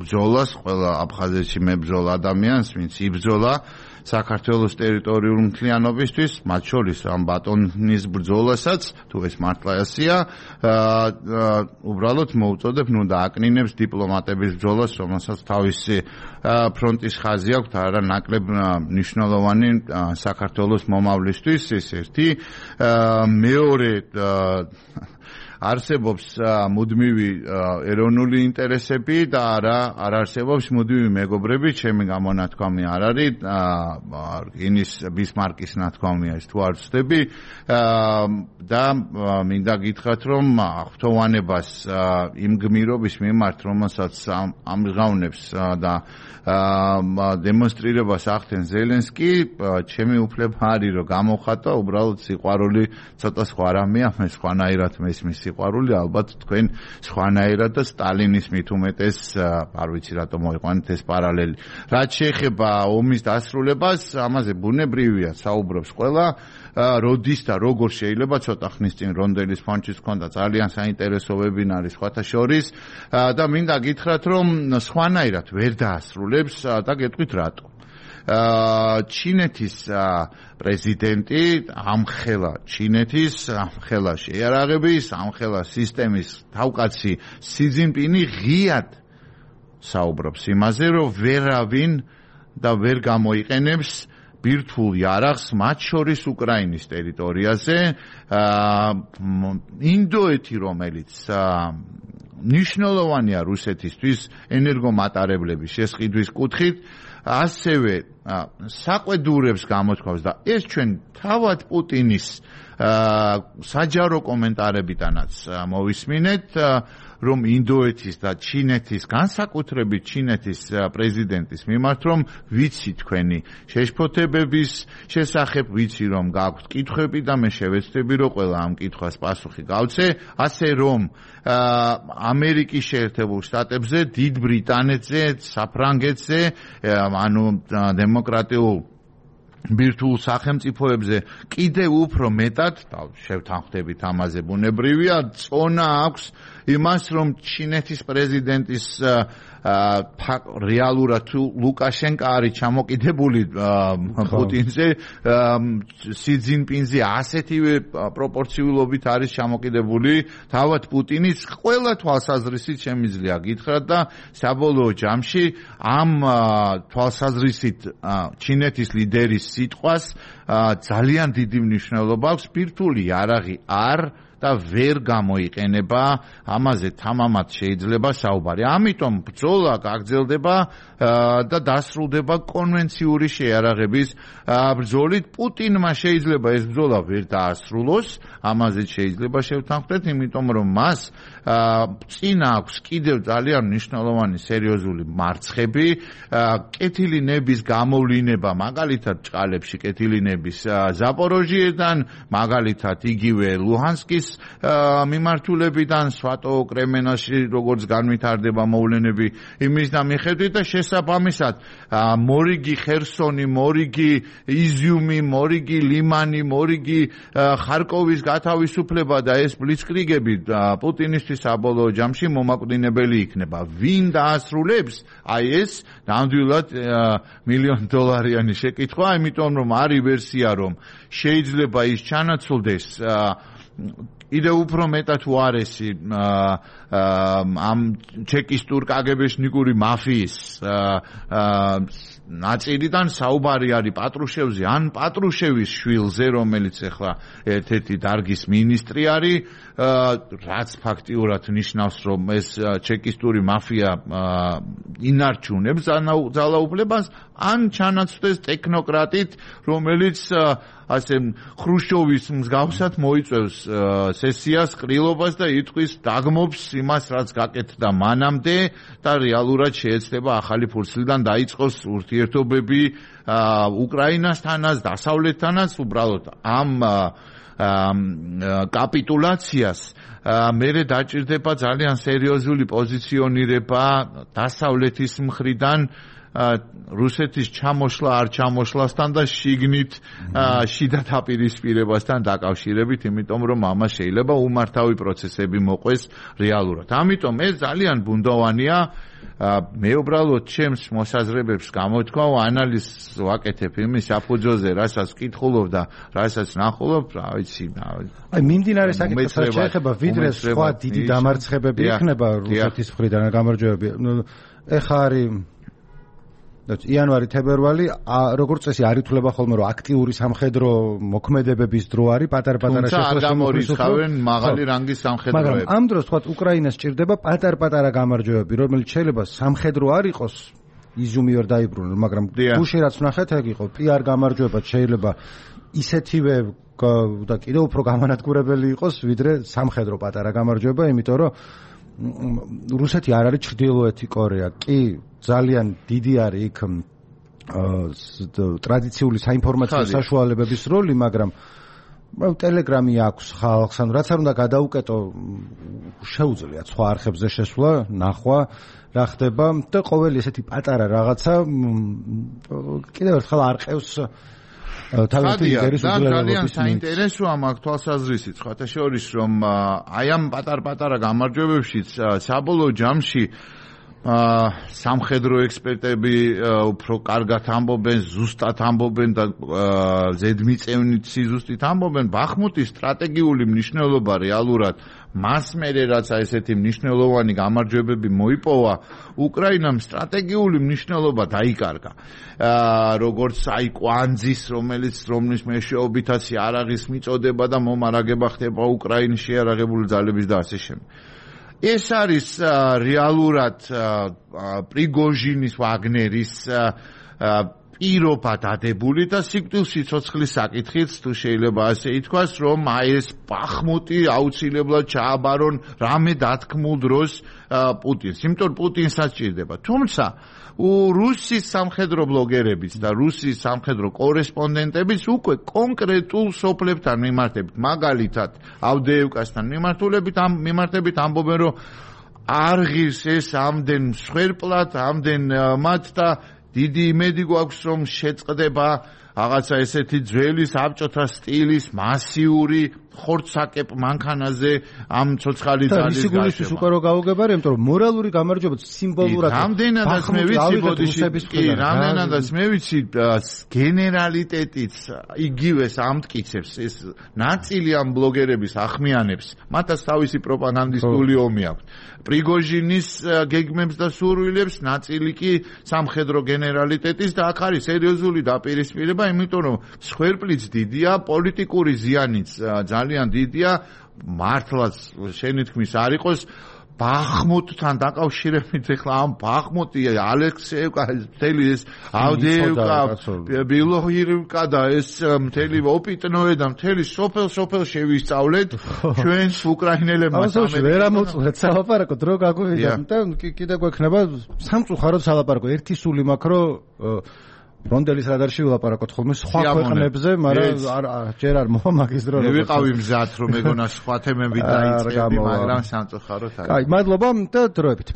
ბრძოლას, ყველა აფხაზეთში მებრძოლ ადამიანს, ვინც იბრძოლა საქართველოს ტერიტორიულ მთლიანობისთვის, მათ შორის ამ ბატონის ბრძოლასაც, თუ ეს მართლა ასია, უბრალოდ მოუწოდებ, ნუ დააკნინებს დიპლომატების ბრძოლას, რომელსაც თავისი ფრონტის ხაზი აქვს, არა ნაკლებ მნიშვნელოვანი საქართველოს მომავლისთვის, ეს ერთი. მეორე არსებობს მუდმივი ეროვნული ინტერესები და არ არსებობს მუდმივი მეგობრები, ჩემი გამონათქვამი არ არის, რკინის ბისმარკის ნათქვამია ეს თუ არ ვცდები და მინდა გითხრათ, რომ ღვთოვანებას იმ გმირობის მიმართ, რომელსაც ამჟღავნებს და დემონსტრირებას ახდენს ზელენსკი, ჩემი უფლება არის, რომ გამოვხატო, უბრალოდ სიყვარული ცოტა სხვა რამეა, მე სხვანაირად მესმის სიყვარული, ალბათ თქვენ სხვანაირად და სტალინის მით უმეტეს, არ ვიცი რატომ მოიყვანეთ ეს პარალელი. რაც შეეხება ომის დასრულებას, ამაზე ბუნებრივია საუბრობს ყველა, როდის და როგორ შეიძლება, ცოტა ხნის წინ რონდელის ფონჩის ჰქონდა ძალიან საინტერესო ვებინარი სხვათა შორის და მინდა გითხრათ, რომ სხვანაირად ვერ დაასრულებს და გეტყვით რატო. ჩინეთის პრეზიდენტი ამხელა ჩინეთის ამხელა შეიარაღების ამხელა სისტემის თავკაცი სი ძინპინი ღიად საუბრობს იმაზე, რომ ვერავინ და ვერ გამოიყენებს ბირთვულ იარაღს მათ შორის უკრაინის ტერიტორიაზე. ინდოეთი, რომელიც მნიშვნელოვანია რუსეთისთვის ენერგომატარებლების შესყიდვის კუთხით, ასევე საყვედურებს გამოთქვავს და ეს ჩვენ თავად პუტინის საჯარო კომენტარებიდანაც მოვისმინეთ, რომ ინდოეთის და ჩინეთის, განსაკუთრებით ჩინეთის პრეზიდენტის მიმართ, რომ ვიცი თქვენი შეშფოთებების შესახებ, ვიცი რომ გაქვთ კითხვები და მე შევეცდები რომ ყველა ამ კითხვას პასუხი გავცე, ასე რომ ამერიკის შეერთებულ შტატებზე, დიდ ბრიტანეთზე, საფრანგეთზე, ანუ დემოკრატიულ ბირთვულ სახელმწიფოებზე კიდევ უფრო მეტად შევთანხმდებით ამაზე ბუნებრივია წონა აქვს იმას რომ ჩინეთის პრეზიდენტის რეალურად ლუკაშენკო არის ჩამოკიდებული პუტინზე სი ძინპინზე ასეთივე პროპორციულობით არის ჩამოკიდებული თავად პუტინის ყველა თვალსაზრისით შემიძლია გითხრათ და საბოლოო ჯამში ამ თვალსაზრისით ჩინეთის ლიდერის სიტყვას ძალიან დიდი მნიშვნელობა აქვს ბირთვული იარაღი არ და ვერ გამოიყენება ამაზე თამამად შეიძლება საუბარი. ამიტომ ბრძოლა გაგრძელდება და დასრულდება კონვენციური შეიარაღების ბრძოლით. პუტინმა შეიძლება ეს ბრძოლა ვერ დაასრულოს, ამაზე შეიძლება შევთანხმდეთ, იმიტომ რომ მას წინ აქვს კიდევ ძალიან მნიშვნელოვანი სერიოზული მარცხები, კეთილი ნების გამოვლინება, მაგალითად ჭყალებში კეთილი ნების ზაპოროჟიედან, მაგალითად იგივე ლუჰანსკის მიმართულებიდან სვატო კრემენაში როგორც განვითარდება მოვლენები იმის და მიხედვით და შესაბამისად მორიგი ხერსონი, მორიგი იზიუმი, მორიგი ლიმანი, მორიგი ხარკოვის გათავისუფლება და ეს ბლიცკრიგები პუტინისთვის საბოლოო ჯამში მომაკვდინებელი იქნება. ვინ დაასრულებს? აი ეს ნამდვილად $1,000,000 შეკითხვა, იმიტომ რომ არის ვერსია რომ შეიძლება ის ჩანაცვლდეს კიდევ უფრო მეტად უარესი ამ ჩეკისტურ კაგებეშნიკური მაფიის ნაწილიდან საუბარი არის პატრუშევზე ან პატრუშევის შვილზე, რომელიც ახლა ერთ-ერთი დარგის მინისტრი არის, რაც ფაქტიურად ნიშნავს, რომ ეს ჩეკისტური მაფია ინარჩუნებს ძალაუფლებას, ან ჩანაცვლდეს ტექნოკრატით, რომელიც ასე ხრუშჩოვის მსგავსად მოიწევს სესიას, ყრილობას და იტყვის დაგმობს იმას, რაც გაკეთდა მანამდე და რეალურად შეეცდება ახალი ფურცლიდან დაიწყოს ურთიერთობები უკრაინასთანაც, დასავლეთთანაც, უბრალოდ ამ კაპიტულაციას მერე დაჭირდება ძალიან სერიოზული პოზიციონირება დასავლეთის მხრიდან რუსეთის ჩამოშლა არ ჩამოშლასთან და შიგნით შიდა დაპირისპირებასთან დაკავშირებით, იმიტომ რომ ამას შეიძლება უმართავი პროცესები მოყვეს რეალურად. ამიტომ ეს ძალიან ბუნდოვანია. მე უბრალოდ ჩემს მოსაზრებებს გამოთქვა, ანალიზს ვაკეთებ იმის საფუძველზე, რასაც ვკითხულობ და რასაც ნახულობ, რა ვიცი. აი მიმდინარე საკითხსაც შეეხება, ვიდრე სხვა დიდი დამარცხებები იქნება რუსეთის მხრიდან გამარჯვებები. ეხა არის იანვარი, თებერვალი, როგორც წესი არ ითვლება ხოლმე, რომ აქტიური სამხედრო მოქმედებების დრო არის, პატარ-პატარა შემოხსოვენ მაღალი რანგის სამხედროები. მაგრამ ამ დროს თქვათ უკრაინას სჭირდება პატარ-პატარა გამარჯვებები, რომელიც შეიძლება სამხედრო არ იყოს, იზიუმი ვერ დაიბრუნოს, მაგრამ გუში რაც ვნახეთ, ეგ იყო პიარ გამარჯვებაც შეიძლება ისეთივე და კიდევ უფრო გამანადგურებელი იყოს, ვიდრე სამხედრო პატარა გამარჯვება, იმიტომ რომ რუსეთი არ არის ჩრდილოეთი კორეა, კი ძალიან დიდი არის იქ ტრადიციული საინფორმაციო საშუალებების როლი, მაგრამ ტელეგრამი აქვს ხალხს, ანუ რაც არ უნდა გადაუკეტო, შეუძლიათ სხვა არხებზე შესვლა, ნახვა რა ხდება და ყოველი ესეთი პატარა რაღაცა კიდევ ერთხელ არ ყევს ძალიან საინტერესოა მაგ თვალსაზრისით, სხვათა შორის, რომ აი ამ პატარ-პატარა გამარჯვებებშიც საბოლოო ჯამში სამხედრო ექსპერტები უფრო კარგად ამბობენ, ზუსტად ამბობენ და ზედმიწევნით სიზუსტით ამბობენ, ბახმუტის სტრატეგიული მნიშვნელობა რეალურად მას მერე რაც ესეთი მნიშვნელოვანი გამარჯვებები მოიპოვა, უკრაინამ სტრატეგიული მნიშვნელობა დაიკარგა. როგორც აი კვანძის, რომლის მეშვეობითაც იარაღის მიწოდება და მომარაგება ხდება უკრაინის შეიარაღებული ძალების და ასე შემდეგ. ეს არის რეალურად პრიგოჟინის ვაგნერის პირობა დადებული და სიკვდილ სიცოცხლის საკითხიც თუ შეიძლება ასე ითქვას, რომ აი ეს ბახმუტი აუცილებლად ჩააბარონ რამე დათქმულ დროს პუტინს. იმიტომ პუტინსაც ჭირდება. თუმცა რუსის სამხედრო ბლოგერებიც და რუსის სამხედრო კორესპონდენტებიც უკვე კონკრეტულ სოფლებთან მიმართებით, მაგალითად ავდეევკასთან მიმართებით ამბობენ, რომ არ ღირს ეს ამდენ მსხვერპლად, ამდენ მათ და დიდი იმედი გვაქვს, რომ შეწყდება რაღაცა ესეთი ძველი საბჭოთა სტილის მასიური ხორცაკეპ მანქანაზე ამ ცოცხალი ძალის გაშება. და ისიც უკვე რო გაუგებარი, იმიტომ რომ მორალური გამარჯვება სიმბოლურად რამდენადაც მე ვიცი ბოდიში, რამდენადაც მე ვიცი გენერალიტეტიც იგივეს ამტკიცებს, ეს ნაწილი ამ ბლოგერების ახმიანებს, მათაც თავისი პროპაგანდისტული ომი აქვს. პრიგოჟინის გეგმებს და სურვილებს, ნაწილი კი სამხედრო გენერალიტეტის და აქ არის სერიოზული დაპირისპირება, იმიტომ რომ მსხვერპლიც დიდია, პოლიტიკური ზიანიც ძალიან დიდია, მართლაც შენი თქმის არ იყოს ბახმუტთან დაკავშირებით ახლა ამ ბახმუტი ალექსეევკა მთელი ეს ავდეევკა ბილოჰიროვკა და ეს მთელი ოპიტნოე და მთელი სოფელ შევისწავლეთ ჩვენს უკრაინელებმა ვერ ამოწურეთ სალაპარაკო დრო გაგვივიდა და კიდე გვექნება სამწუხაროდ სალაპარაკო ერთი სული მაქვს რომ რონდელის რადარში ვილაპარაკოთ ხოლმე სხვა ქვეყნებზე, მაგრამ ჯერ არ მოვა მაგის დრო. მე ვიყავი მზად რომ მეგონა სხვა თემები დაიწყებდი, მაგრამ სამწუხაროდ არის. კაი, მადლობა და დროებით.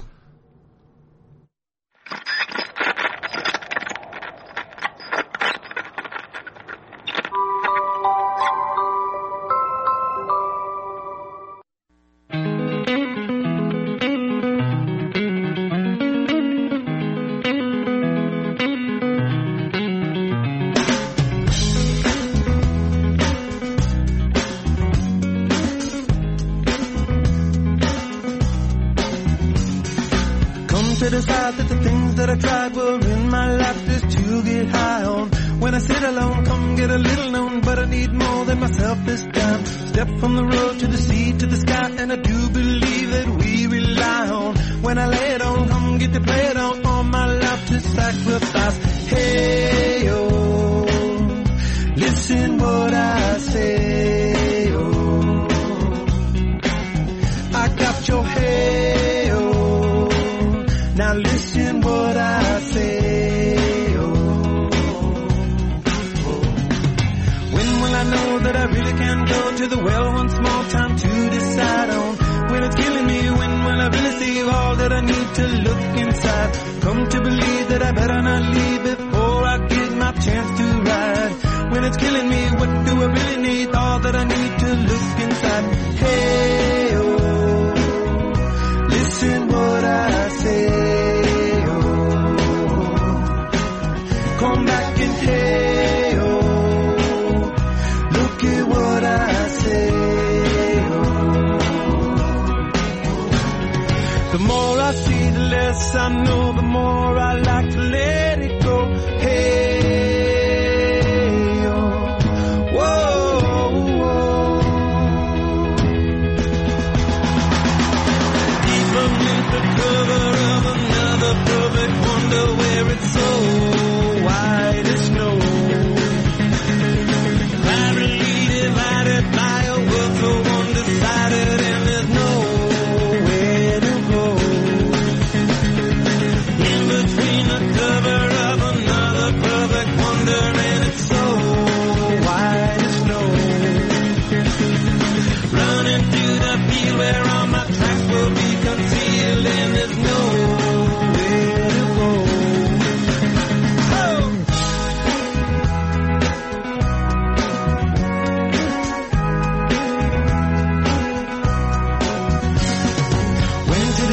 Perfect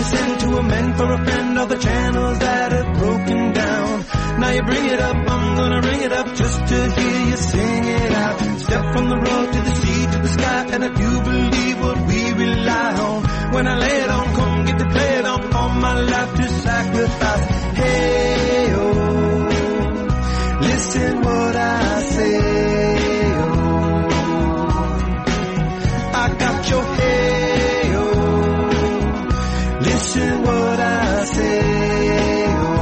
listen to a man for a friend, all the channels that have broken down. Now you bring it up, I'm gonna ring it up just to hear you sing it out. Step from the road to the sea to the sky, and I do believe what we rely on. When I lay it on, come get to play it on, all my life to sacrifice. Hey, oh, listen what I say, oh, I got your hey, oh, listen what I say, oh.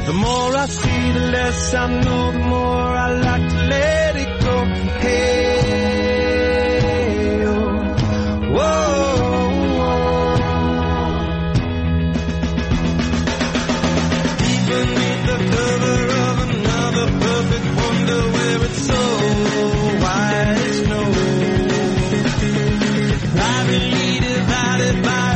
The more I see, the less I know, the more I like to let it go. Hey, oh, whoa, deep beneath the cover of another perfect wonder, where it's so white as snow, privately divided by